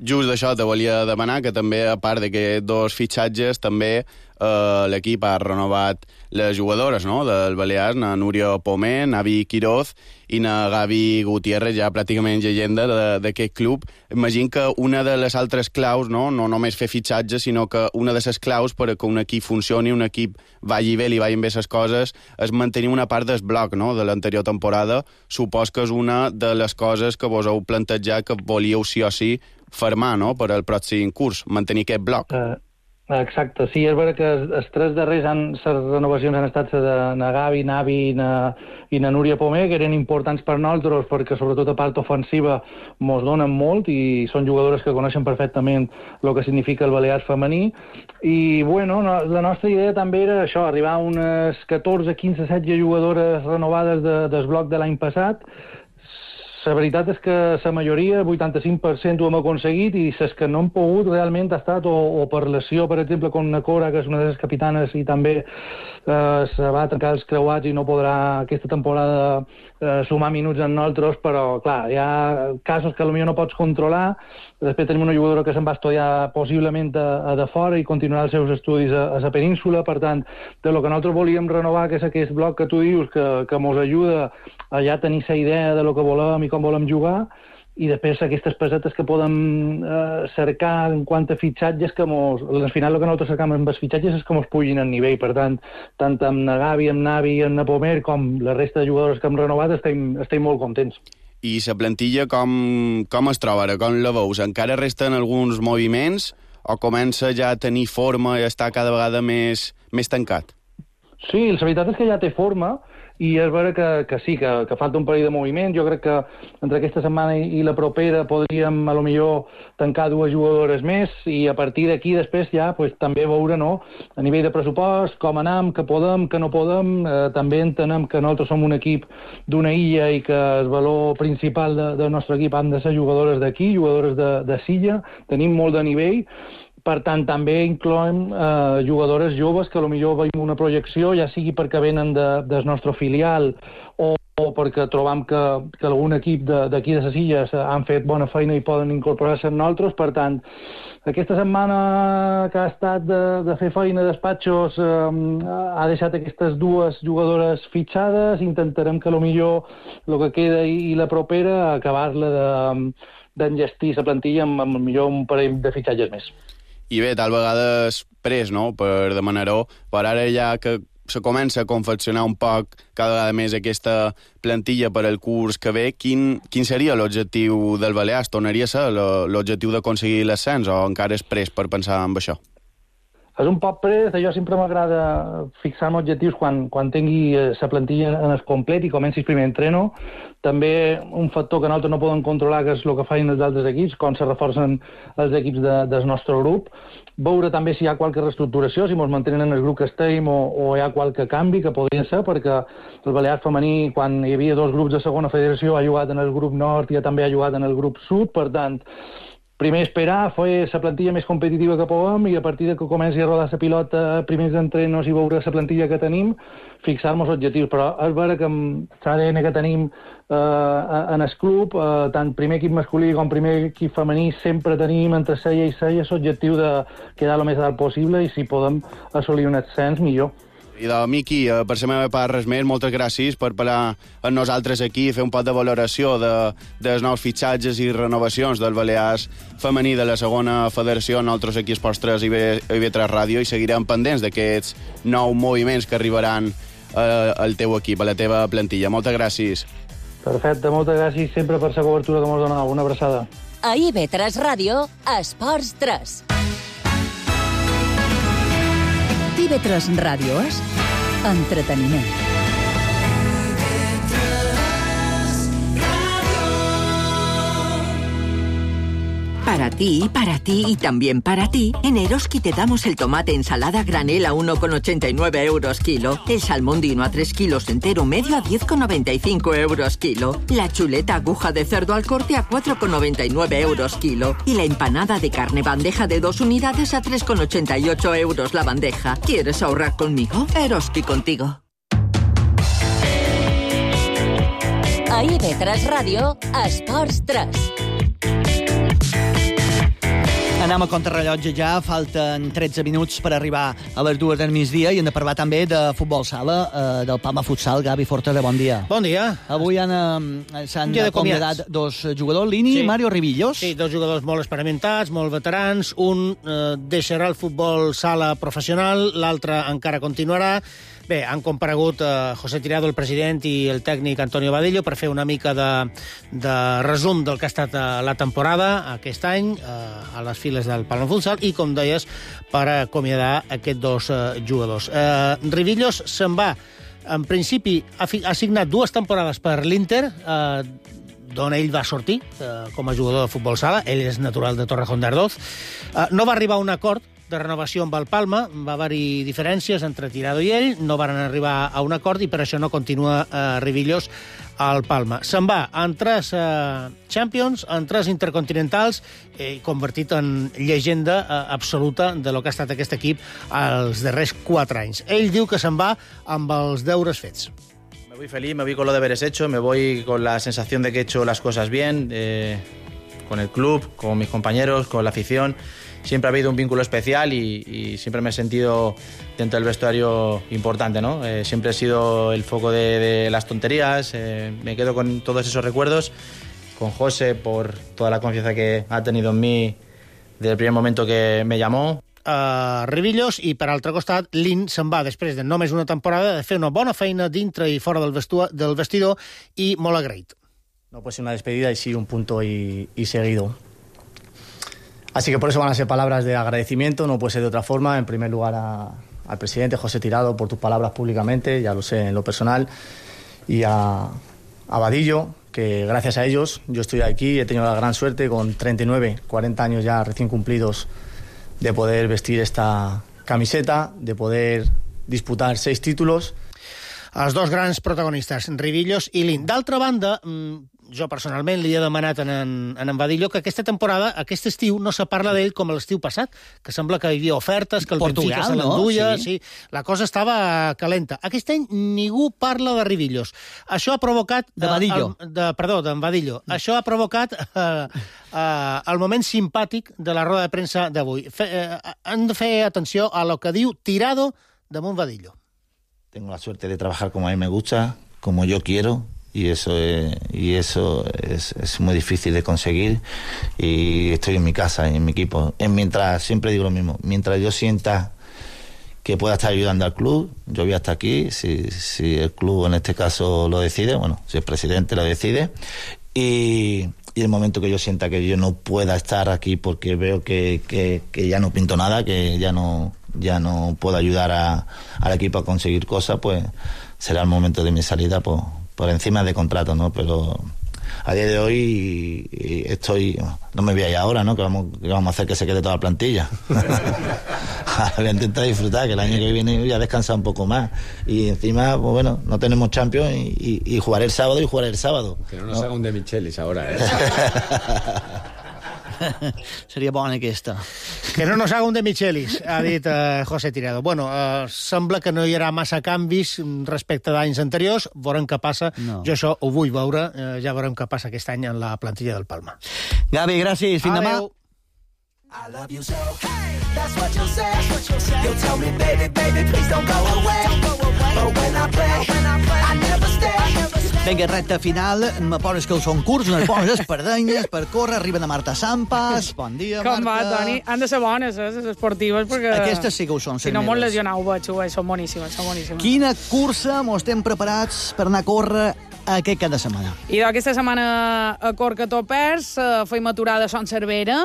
Just això te volia demanar, que també, a part d'aquests dos fitxatges, també l'equip ha renovat les jugadores, no?, del Balears, na Núria Pomer, Navi Quiroz i na Gavi Gutiérrez, ja pràcticament llegenda d'aquest club. Imagino que una de les altres claus, no només fer fitxatges, sinó que una de les claus per que un equip funcioni, un equip vagi bé, li vagin bé les coses, és mantenir una part del bloc, no?, de l'anterior temporada. Supos que és una de les coses que vos heu plantejat que volíeu sí o sí fermar, no?, per al pròxim curs, mantenir aquest bloc. Exacte, sí, és vera que els tres darrers les renovacions han estat de na Gavi, Navi i na Núria Pomer, que eren importants per nosaltres perquè sobretot a part ofensiva mos donen molt i són jugadores que coneixen perfectament el que significa el Balears femení. I bueno, la nostra idea també era això, arribar a unes 14, 15, 16 jugadores renovades del bloc de l'any passat. la veritat és que la majoria, 85%, ho hem aconseguit, i les que no han pogut realment ha estat o per lesió, per exemple, com una Cora, que és una de les capitanes, i també se va trencar els creuats i no podrà aquesta temporada sumar minuts en nosaltres, però clar, hi ha casos que potser no pots controlar. Després tenim una jugadora que se'n va estudiar possiblement a de fora i continuarà els seus estudis a la península. Per tant, de lo que nosaltres volíem renovar, que és aquest bloc que tu dius, que mos ajuda a ja tenir la idea de lo que volem i com volem jugar, i després aquestes pesetes que podem cercar en quant a fitxatges, que al final el que nosaltres cercam amb els fitxatges és que mos pugin el nivell. Per tant amb na Gavi, amb Navi, amb na Pomer, com la resta de jugadors que hem renovat, estem molt contents. I la plantilla com es troba ara? Com la veus? Encara resten alguns moviments o comença ja a tenir forma i està cada vegada més tancat? Sí, la veritat és que ja té forma, i és vera que sí, que falta un parell de moviments. Jo crec que entre aquesta setmana i la propera podríem, a lo millor, tancar 2 jugadores més, i a partir d'aquí després ja també veure, no?, a nivell de pressupost, com anem, què podem, què no podem. També entenem que nosaltres som un equip d'una illa i que el valor principal del nostre equip han de ser jugadores d'aquí, jugadores de Silla. Tenim molt de nivell. Per tant, també incloem jugadores joves que potser veiem una projecció, ja sigui perquè venen del nostre filial o perquè trobam que algun equip d'aquí de les Illes han fet bona feina i poden incorporar-se en nosaltres. Per tant, aquesta setmana que ha estat de fer feina de despatxos ha deixat aquestes 2 jugadores fitxades. Intentarem que potser el que queda i la propera acabar-la d'enllestir la plantilla amb potser un parell de fitxatges més. I bé, tal vegada és pres, no?, per demanar-ho, però ara ja que se comença a confeccionar un poc cada vegada més aquesta plantilla per al curs que ve, quin seria l'objectiu del Balears? Tornaria a ser l'objectiu d'aconseguir l'ascens o encara és pres per pensar en això? És un poc pres. Jo sempre m'agrada fixar-me objectius quan tingui la plantilla en el complet i comenci el primer entreno. També un factor que nosaltres no podem controlar, que és el que fan els altres equips, com se reforcen els equips del nostre grup. Veure també si hi ha qualque reestructuració, si ens mantenen en el grup que estem o hi ha qualque canvi, que podria ser, perquè el Balears femení, quan hi havia 2 grups de segona federació, ha jugat en el grup nord i també ha jugat en el grup sud. Per tant, primer esperar, fer la plantilla més competitiva que puguem, i a partir de que comenci a rodar la pilota, primers entrenos i veure la plantilla que tenim, fixar-nos objectius. Però és vera que amb l'ADN que tenim en el club, tant primer equip masculí com primer equip femení, sempre tenim entre 6 i 6 l'objectiu de quedar el més dalt possible, i si podem assolir un ascens, millor. I de Miqui, per la meva part, res més, moltes gràcies per parlar amb nosaltres aquí, fer un poc de valoració dels nous fitxatges i renovacions del Balears femení de la segona federació. Nosaltres aquí a Esports 3 i IB3 Ràdio, i seguirem pendents d'aquests nous moviments que arribaran al teu equip, a la teva plantilla. Moltes gràcies. Perfecte, moltes gràcies sempre per la cobertura que m'has donat. Una abraçada. A IB3 Ràdio, Esports 3. IB3 Ràdio és entreteniment. Para ti y también para ti, en Eroski te damos el tomate ensalada granel a 1,89 euros kilo, el salmón dino a 3 kilos entero medio a 10,95 euros kilo, la chuleta aguja de cerdo al corte a 4,99 euros kilo y la empanada de carne bandeja de 2 unidades a 3,88 euros la bandeja. ¿Quieres ahorrar conmigo? Eroski contigo. A IB3 Ràdio, Esports 3. Anem a contrarrellotge ja, falten 13 minuts per arribar a les 2 del migdia, i hem de parlar també de futbol sala, del Palma Futsal. Gavi Fortera, bon dia. Bon dia. Avui s'han acomiadat 2 jugadors, Lini i Mario Rivillos. Sí, 2 jugadors molt experimentats, molt veterans. Un deixarà el futbol sala professional, l'altre encara continuarà. Bé, han comparegut José Tirado, el president, i el tècnic Antonio Badillo per fer una mica de resum del que ha estat la temporada aquest any a les files del Palma Futsal i, com deies, per acomiadar aquests 2 jugadors. Rivillos se'n va. En principi, ha signat 2 temporades per l'Inter, d'on ell va sortir com a jugador de futbol sala. Ell és natural de Torrejón de Ardoz. No va arribar a un acord de renovació amb el Palma. Va haver-hi diferències entre Tirado i ell, no van arribar a un acord i per això no continua Rivillos al Palma. Se'n va en 3 Champions, en 3 Intercontinentals, convertit en llegenda absoluta de lo que ha estat aquest equip els darrers 4 anys. Ell diu que se'n va amb els deures fets. Me voy feliz, me voy con los deberes hechos, me voy con la sensación de que he hecho las cosas bien, con el club, con mis compañeros, con la afición. Siempre ha habido un vínculo especial y siempre me he sentido dentro del vestuario importante, ¿no? Siempre he sido el foco de las tonterías, me quedo con todos esos recuerdos, con José por toda la confianza que ha tenido en mí desde el primer momento que me llamó. Rivillos, i per altre costat Lin se'n va després de només una temporada de fer una bona feina dintre i fora del vestidor i molt agraït. No puede ser una despedida y sí un punto y seguido. Así que por eso van a ser palabras de agradecimiento, no puede ser de otra forma. En primer lugar al presidente José Tirado por tus palabras públicamente, ya lo sé en lo personal, y a Vadillo, que gracias a ellos yo estoy aquí, he tenido la gran suerte con 39, 40 años ya recién cumplidos de poder vestir esta camiseta, de poder disputar 6 títulos. Els dos grans protagonistes, Rivillos i Lin. D'altra banda, jo personalment li he demanat en Vadillo que aquesta temporada, aquest estiu, no se parla d'ell com l'estiu passat, que sembla que hi havia ofertes, que el Benfica se l'enduia, sí, la cosa estava calenta. Aquest any ningú parla de Rivillos. Això ha provocat... De Vadillo. D'en Vadillo. Això ha provocat el moment simpàtic de la roda de premsa d'avui. Han de fer atenció a lo que diu Tirado damunt Vadillo. Tengo la suerte de trabajar como a mí me gusta, como yo quiero, y eso es muy difícil de conseguir. Y estoy en mi casa, en mi equipo. Mientras, siempre digo lo mismo, mientras yo sienta que pueda estar ayudando al club, yo voy hasta aquí, si el club en este caso lo decide, bueno, si el presidente lo decide, y el momento que yo sienta que yo no pueda estar aquí porque veo que ya no pinto nada, que ya no puedo ayudar al equipo a conseguir cosas, pues será el momento de mi salida por encima de contrato, ¿no? Pero a día de hoy no me voy a ir ahora, ¿no? Que vamos a hacer que se quede toda la plantilla. Voy a intentar disfrutar, que el año que viene voy a descansar un poco más. Y encima, pues bueno, no tenemos Champions y jugaré el sábado y jugaré el sábado. Que no nos haga un de Michelis ahora, ¿eh? Seria bona aquesta. Que no nos haga un de Michelis, ha dit José Tirado. Bueno, sembla que no hi haurà massa canvis respecte d'anys anteriors. Veurem què passa. No. Jo això ho vull veure. Ja veurem què passa aquest any en la plantilla del Palma. Gavi, gràcies. Fins demà. I love you so, hey, that's what you say, you tell me, baby, please don't go away, but when I play, I never stay. Vinga, recta final, me poses que són curts, unes bones espardenyes per córrer, arriben a Marta Sampas, bon dia, Marta. Com va, Toni? Han de ser bones, les esportives, perquè... Aquestes sí que ho són, si no, molt lesionau, veig, són boníssimes, són boníssimes. Quina cursa mos estem preparats per anar a córrer aquest cap de setmana? I aquesta setmana a Corca Topers feim aturada a Son Cervera.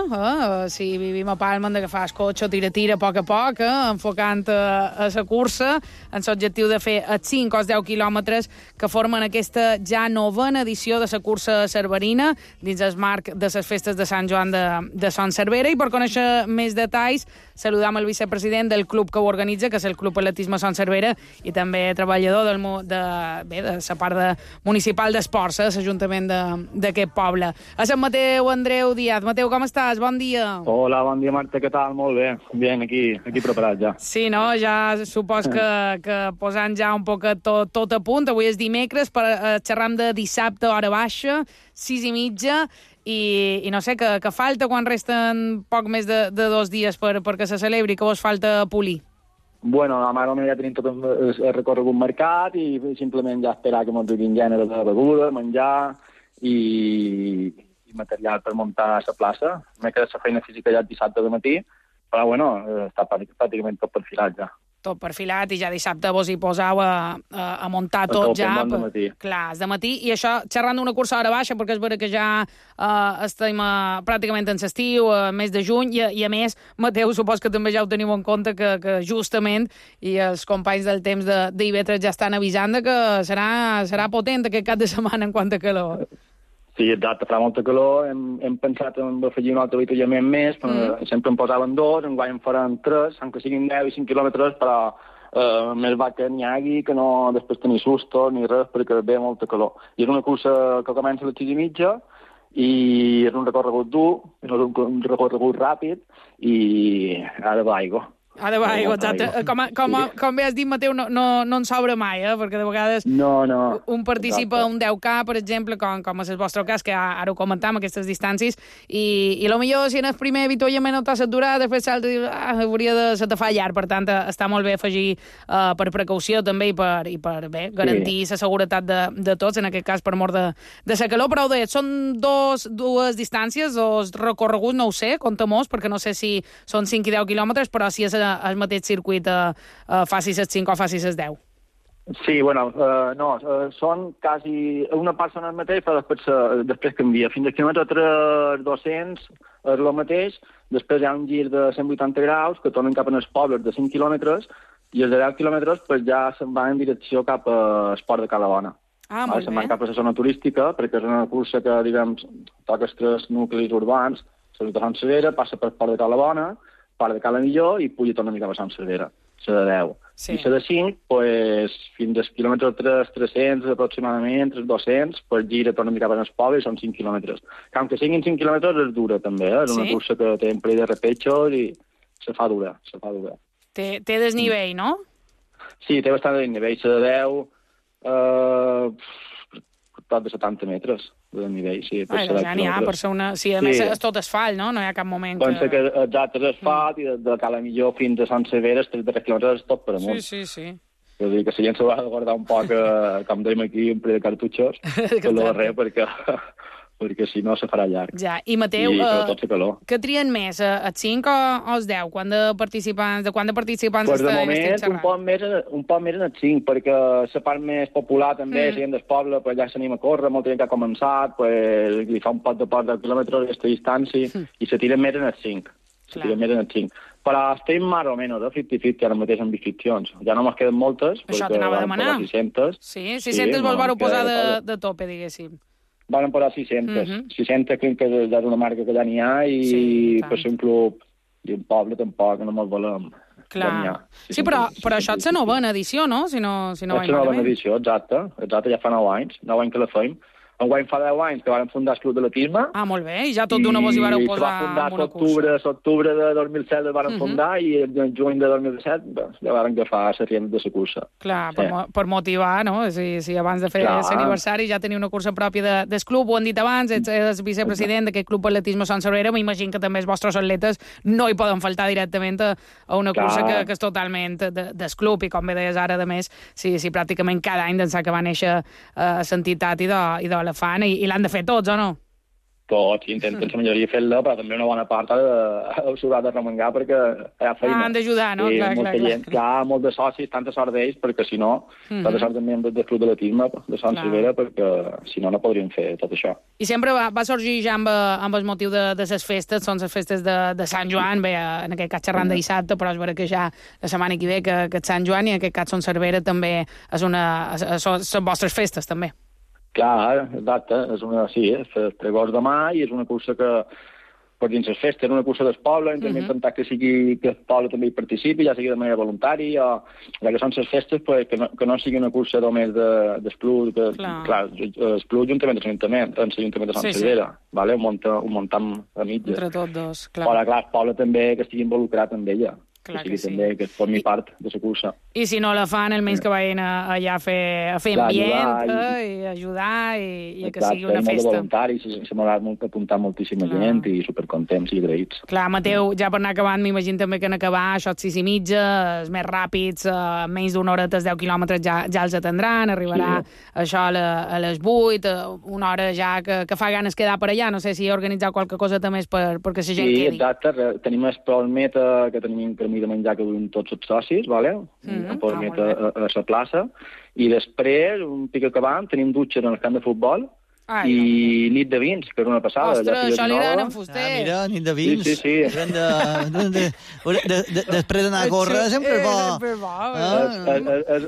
Si vivim a Palma hem d'agafar el cotxe, tira a poc, enfocant a la cursa, amb l'objectiu de fer els 5 o 10 quilòmetres que formen aquesta ja novena edició de la cursa cerverina dins el marc de les festes de Sant Joan de Son Cervera. I per conèixer més detalls, saludam el vicepresident del club que ho organitza, que és el Club Atletisme Son Cervera, i també treballador de la part municipal d'esports, l'Ajuntament d'aquest poble. A Sant Mateu, Andreu Díaz. Mateu, com estàs? Bon dia. Hola, bon dia, Marta, què tal? Molt bé. Bien, aquí preparat ja. Sí, no? Ja supos que posant ja un poc tot a punt. Avui és dimecres, xerram de dissabte, hora baixa, 6:30, i no sé, que falta quan resten poc més de 2 dies perquè se celebri, que vos falta polir. Bueno, la mare ja tenim tot el recorregut marcat i simplement ja esperar que ens duguin gènere de beguda, menjar i material per muntar la plaça. M'he quedat la feina física ja el dissabte de matí, però bueno, està pràcticament tot perfilat ja. Tot perfilat, i ja dissabte vos hi posau a muntar tot ja. Clar, és de matí. I això, xerrant d'una cursa a hora baixa, perquè és vera que ja estem pràcticament en l'estiu, mes de juny, i a més, Mateu, supos que també ja ho teniu en compte, que justament, i els companys del temps d'IV3 ja estan avisant que serà potent aquest cap de setmana en quant a calor. Sí, exacte, fa molta calor, hem pensat en afegir un altre avituallament més, sempre en posaven 2, enguany en faran 3, aunque siguin 10 i 5 quilòmetres, però més va que n'hi hagi, que no després tenir susto ni res, perquè ve molta calor. I és una cursa que comença a les 6:30, i és un recorregut dur, és un recorregut ràpid, i ha de l'aigua. Ha de l'aigua, exacte. Com bé has dit, Mateu, no en sobra mai, perquè de vegades un participa a un 10K, per exemple, com és el vostre cas, que ara ho comentam, aquestes distàncies, i potser si en el primer avituallament no t'has aturat, després l'altre dius, hauria de se te fa llarg, per tant, està molt bé afegir per precaució també i per garantir la seguretat de tots, en aquest cas per mort de la calor, però són dues distàncies, dos recorreguts, no ho sé, compta-mos, perquè no sé si són 5 i 10 quilòmetres, però si és el mateix circuit facis els 5 o facis els 10. Sí, bueno, són quasi... Una part són el mateix, però després canvia. Fins al quilòmetre 300 és el mateix, després hi ha un gir de 180 graus que tornen cap als pobles de 5 quilòmetres i els de 10 quilòmetres ja se'n van en direcció cap a Esport de Calabona. Molt bé. Se'n van cap a la zona turística, perquè és una cursa que, diguem, toca els 3 nuclis urbans, la de Sant Severa, passa per Esport de Calabona, part de Cala Millor i puja torna a mica a Sant Severa, la de 10. Sí. I la de 5, fins al quilòmetre 300 aproximadament, 200, gira, torna a mirar per el poble i són 5 quilòmetres. Que aunque siguin 5 quilòmetres és dura també, és una cursa que té un parell de repechos i se fa dura. Té desnivell, no? Sí, té bastant desnivell. La de 10, tot de 70 metres de nivell, sí. Ja n'hi ha, per ser una... Sí, a més és tot asfalt, no? No hi ha cap moment que... Pensa que exacte és asfalt i de Cala Millor fins a Sant Severa, els 3 quilòmetres és tot per amunt. Sí. Vull dir que la gent s'haurà de guardar un poc, com dèiem aquí, un parell de cartutxos, per lo darrer, perquè si no se farà llarg. Ja, i Mateu, què trien més, els 5 o els 10? Quant de participants de moment, un poc més en els 5, perquè la part més popular també, la gent del poble, ja s'anima a córrer, molta gent que ha començat, li fa un pot de 10 quilòmetres d'aquesta distància, i se tiren més en els 5. Però estem més o menys, 50-50 ara mateix amb inscripcions. Ja no me'n queden moltes, això t'anava a demanar. 600. Sí, 600 vols posar de tope, diguéssim. Van posar 600. 600 crec que és una marca que ja n'hi ha i per ser un club i un poble tampoc no me'l volem. Clar. Sí, però això és la novena edició, no? Si no vaig malament. És la novena edició, exacte, ja fa 9 anys que la feim. Enguany fa 10 anys que vam fundar el Club d'Atletisme. Molt bé, i ja tot d'una vos hi vareu posar en una cursa. L'octubre de 2007 el vam fundar i el juny de 2017 ja vam agafar la rienda de la cursa. Clar, per motivar, no? Si abans de fer l'aniversari ja teniu una cursa pròpia del club, ho han dit abans, ets vicepresident d'aquest Club d'Atletisme Sant Sabrera, m'imagino que també els vostres atletes no hi poden faltar directament a una cursa que és totalment del club, i com bé deies ara, a més, si pràcticament cada any d'ençà que va néixer l'entitat i de la fan, i l'han de fer tots, o no? Tots, intenten la majoria fer-la, però també una bona part s'haurà de remengar perquè hi ha feina. Han d'ajudar, no? Clar, molt de socis, tanta sort d'ells, perquè si no, tanta sort també del Club d'Atletisme de Sant Silvera, perquè si no, no podrien fer tot això. I sempre va sorgir ja amb el motiu de les festes, són les festes de Sant Joan, bé, en aquest cas xerrant de dissabte, però és vera que ja la setmana que ve que és Sant Joan, i en aquest cas Son Cervera també són vostres festes, també. Clar, exacte, és el pregós demà i és una cursa que, per dins les festes, és una cursa del poble, intentem intentar que el poble també hi participi, ja sigui de manera voluntària, ja que són les festes, que no sigui una cursa només d'Espluc, clar, Espluc juntament amb l'Ajuntament de Sant Cervera, ho muntam a mitja. Entre tots dos, clar. Però, clar, el poble també que estigui involucrat amb ella. Que també que formi part de la cursa. I si no la fan, almenys que vagin allà a fer ambient i ajudar i que sigui una festa. Molt de voluntaris, s'ha apuntat moltíssima gent i supercontents i agraïts. Clar, Mateu, ja per anar acabant, m'imagino també que en acabar això 6:30, els més ràpids, menys d'una hora, 10 quilòmetres ja els atendran, arribarà això a les 8, una hora ja que fa ganes quedar per allà, no sé si organitzar qualque cosa també perquè la gent quedi. Sí, exacte, tenim el Prolmeta, que tenim de menjar que duim tots els socis, a la plaça, i després, un pic acabant, tenim dutxes en el camp de futbol, i nit de vins, que era una passada. Ostres, això li agraden en Fuster. Mira, nit de vins. Sí. Després d'anar a córrer sempre bo.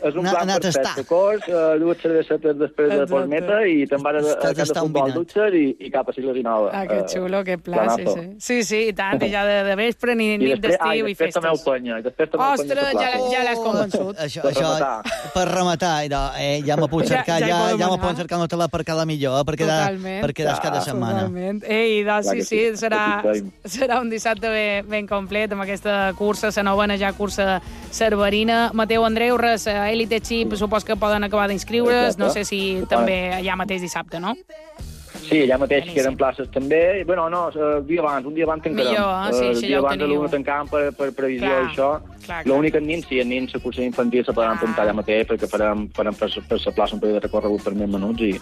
És un plan perfecte. Cors, dues cervesetes després de postmeta i te'n vas a casa de futbol dutxer i cap a Sigles i Nova. Que xulo, que pla, sí, i tant, i ja de vespre, nit d'estiu i festes. I després també ho penya. Ostres, ja l'has convençut. Això, per rematar, ja me puc cercar, ja me poden cercar una tele per cada millor, per quedar cada setmana. Totalment. Sí, serà un dissabte ben complet amb aquesta cursa, la novena ja cursa cerverina. Mateu Andreu, Elite Chip, supos que poden acabar d'inscriure's, no sé si també allà mateix dissabte, no? Sí, allà mateix queden places també. Bueno, no, un dia abans tancarem. Un dia abans de l'una tancàvem per previsió i això. L'únic en nins, si en nins la cursa infantil se podran apuntar allà mateix perquè farem per la plaça un període de recorregut per 1000 minuts i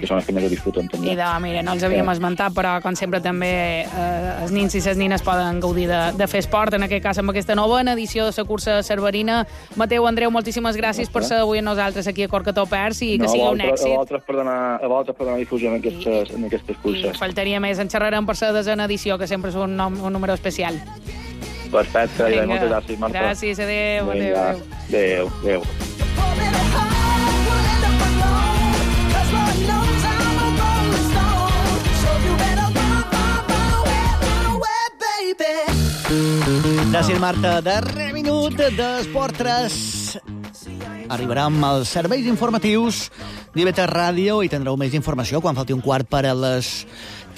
són els que més ho disfruten també. Mira, no els havíem esmentat, però com sempre també els nins i les nines poden gaudir de fer esport, en aquest cas amb aquesta novena edició de la cursa cerverina. Mateu, Andreu, moltíssimes gràcies per ser avui amb nosaltres aquí a Corcató Pers i que sigui un èxit. A vosaltres per donar difusió en aquestes curses. Faltaria més, en xerrarem per la desena edició, que sempre és un número especial. Perfecte, moltes gràcies, Marta. Gràcies, adéu. Adéu. Gràcies, Marta. Darrer minut d'Esport 3. Arribarem als serveis informatius d'IV3 Ràdio i tindreu més informació quan falti un quart per a les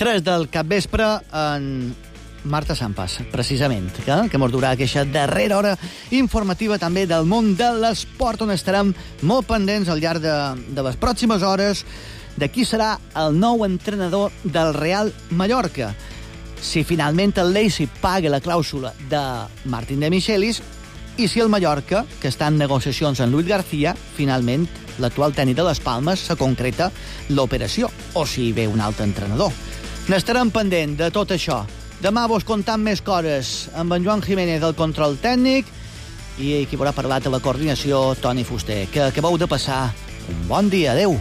3 del capvespre en Marta Sampas, precisament, que mos durà aquesta darrera hora informativa també del món de l'esport, on estarem molt pendents al llarg de les pròximes hores de qui serà el nou entrenador del Real Mallorca. Si finalment el Leipzig paga la clàusula de Martín de Michelis i si el Mallorca, que està en negociacions amb Luis García, finalment l'actual tècnic de les Palmes se concreta l'operació, o si ve un altre entrenador. N'estarem pendent de tot això. Demà vos contam més coses amb en Joan Jiménez del control tècnic i qui haurà parlat a la coordinació, Toni Fuster. Que acabeu de passar un bon dia. Adéu.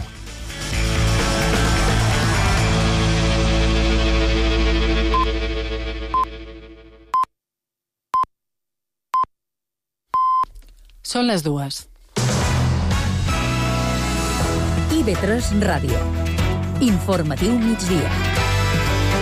Són les 2. IV3 Ràdio. Informatiu migdia.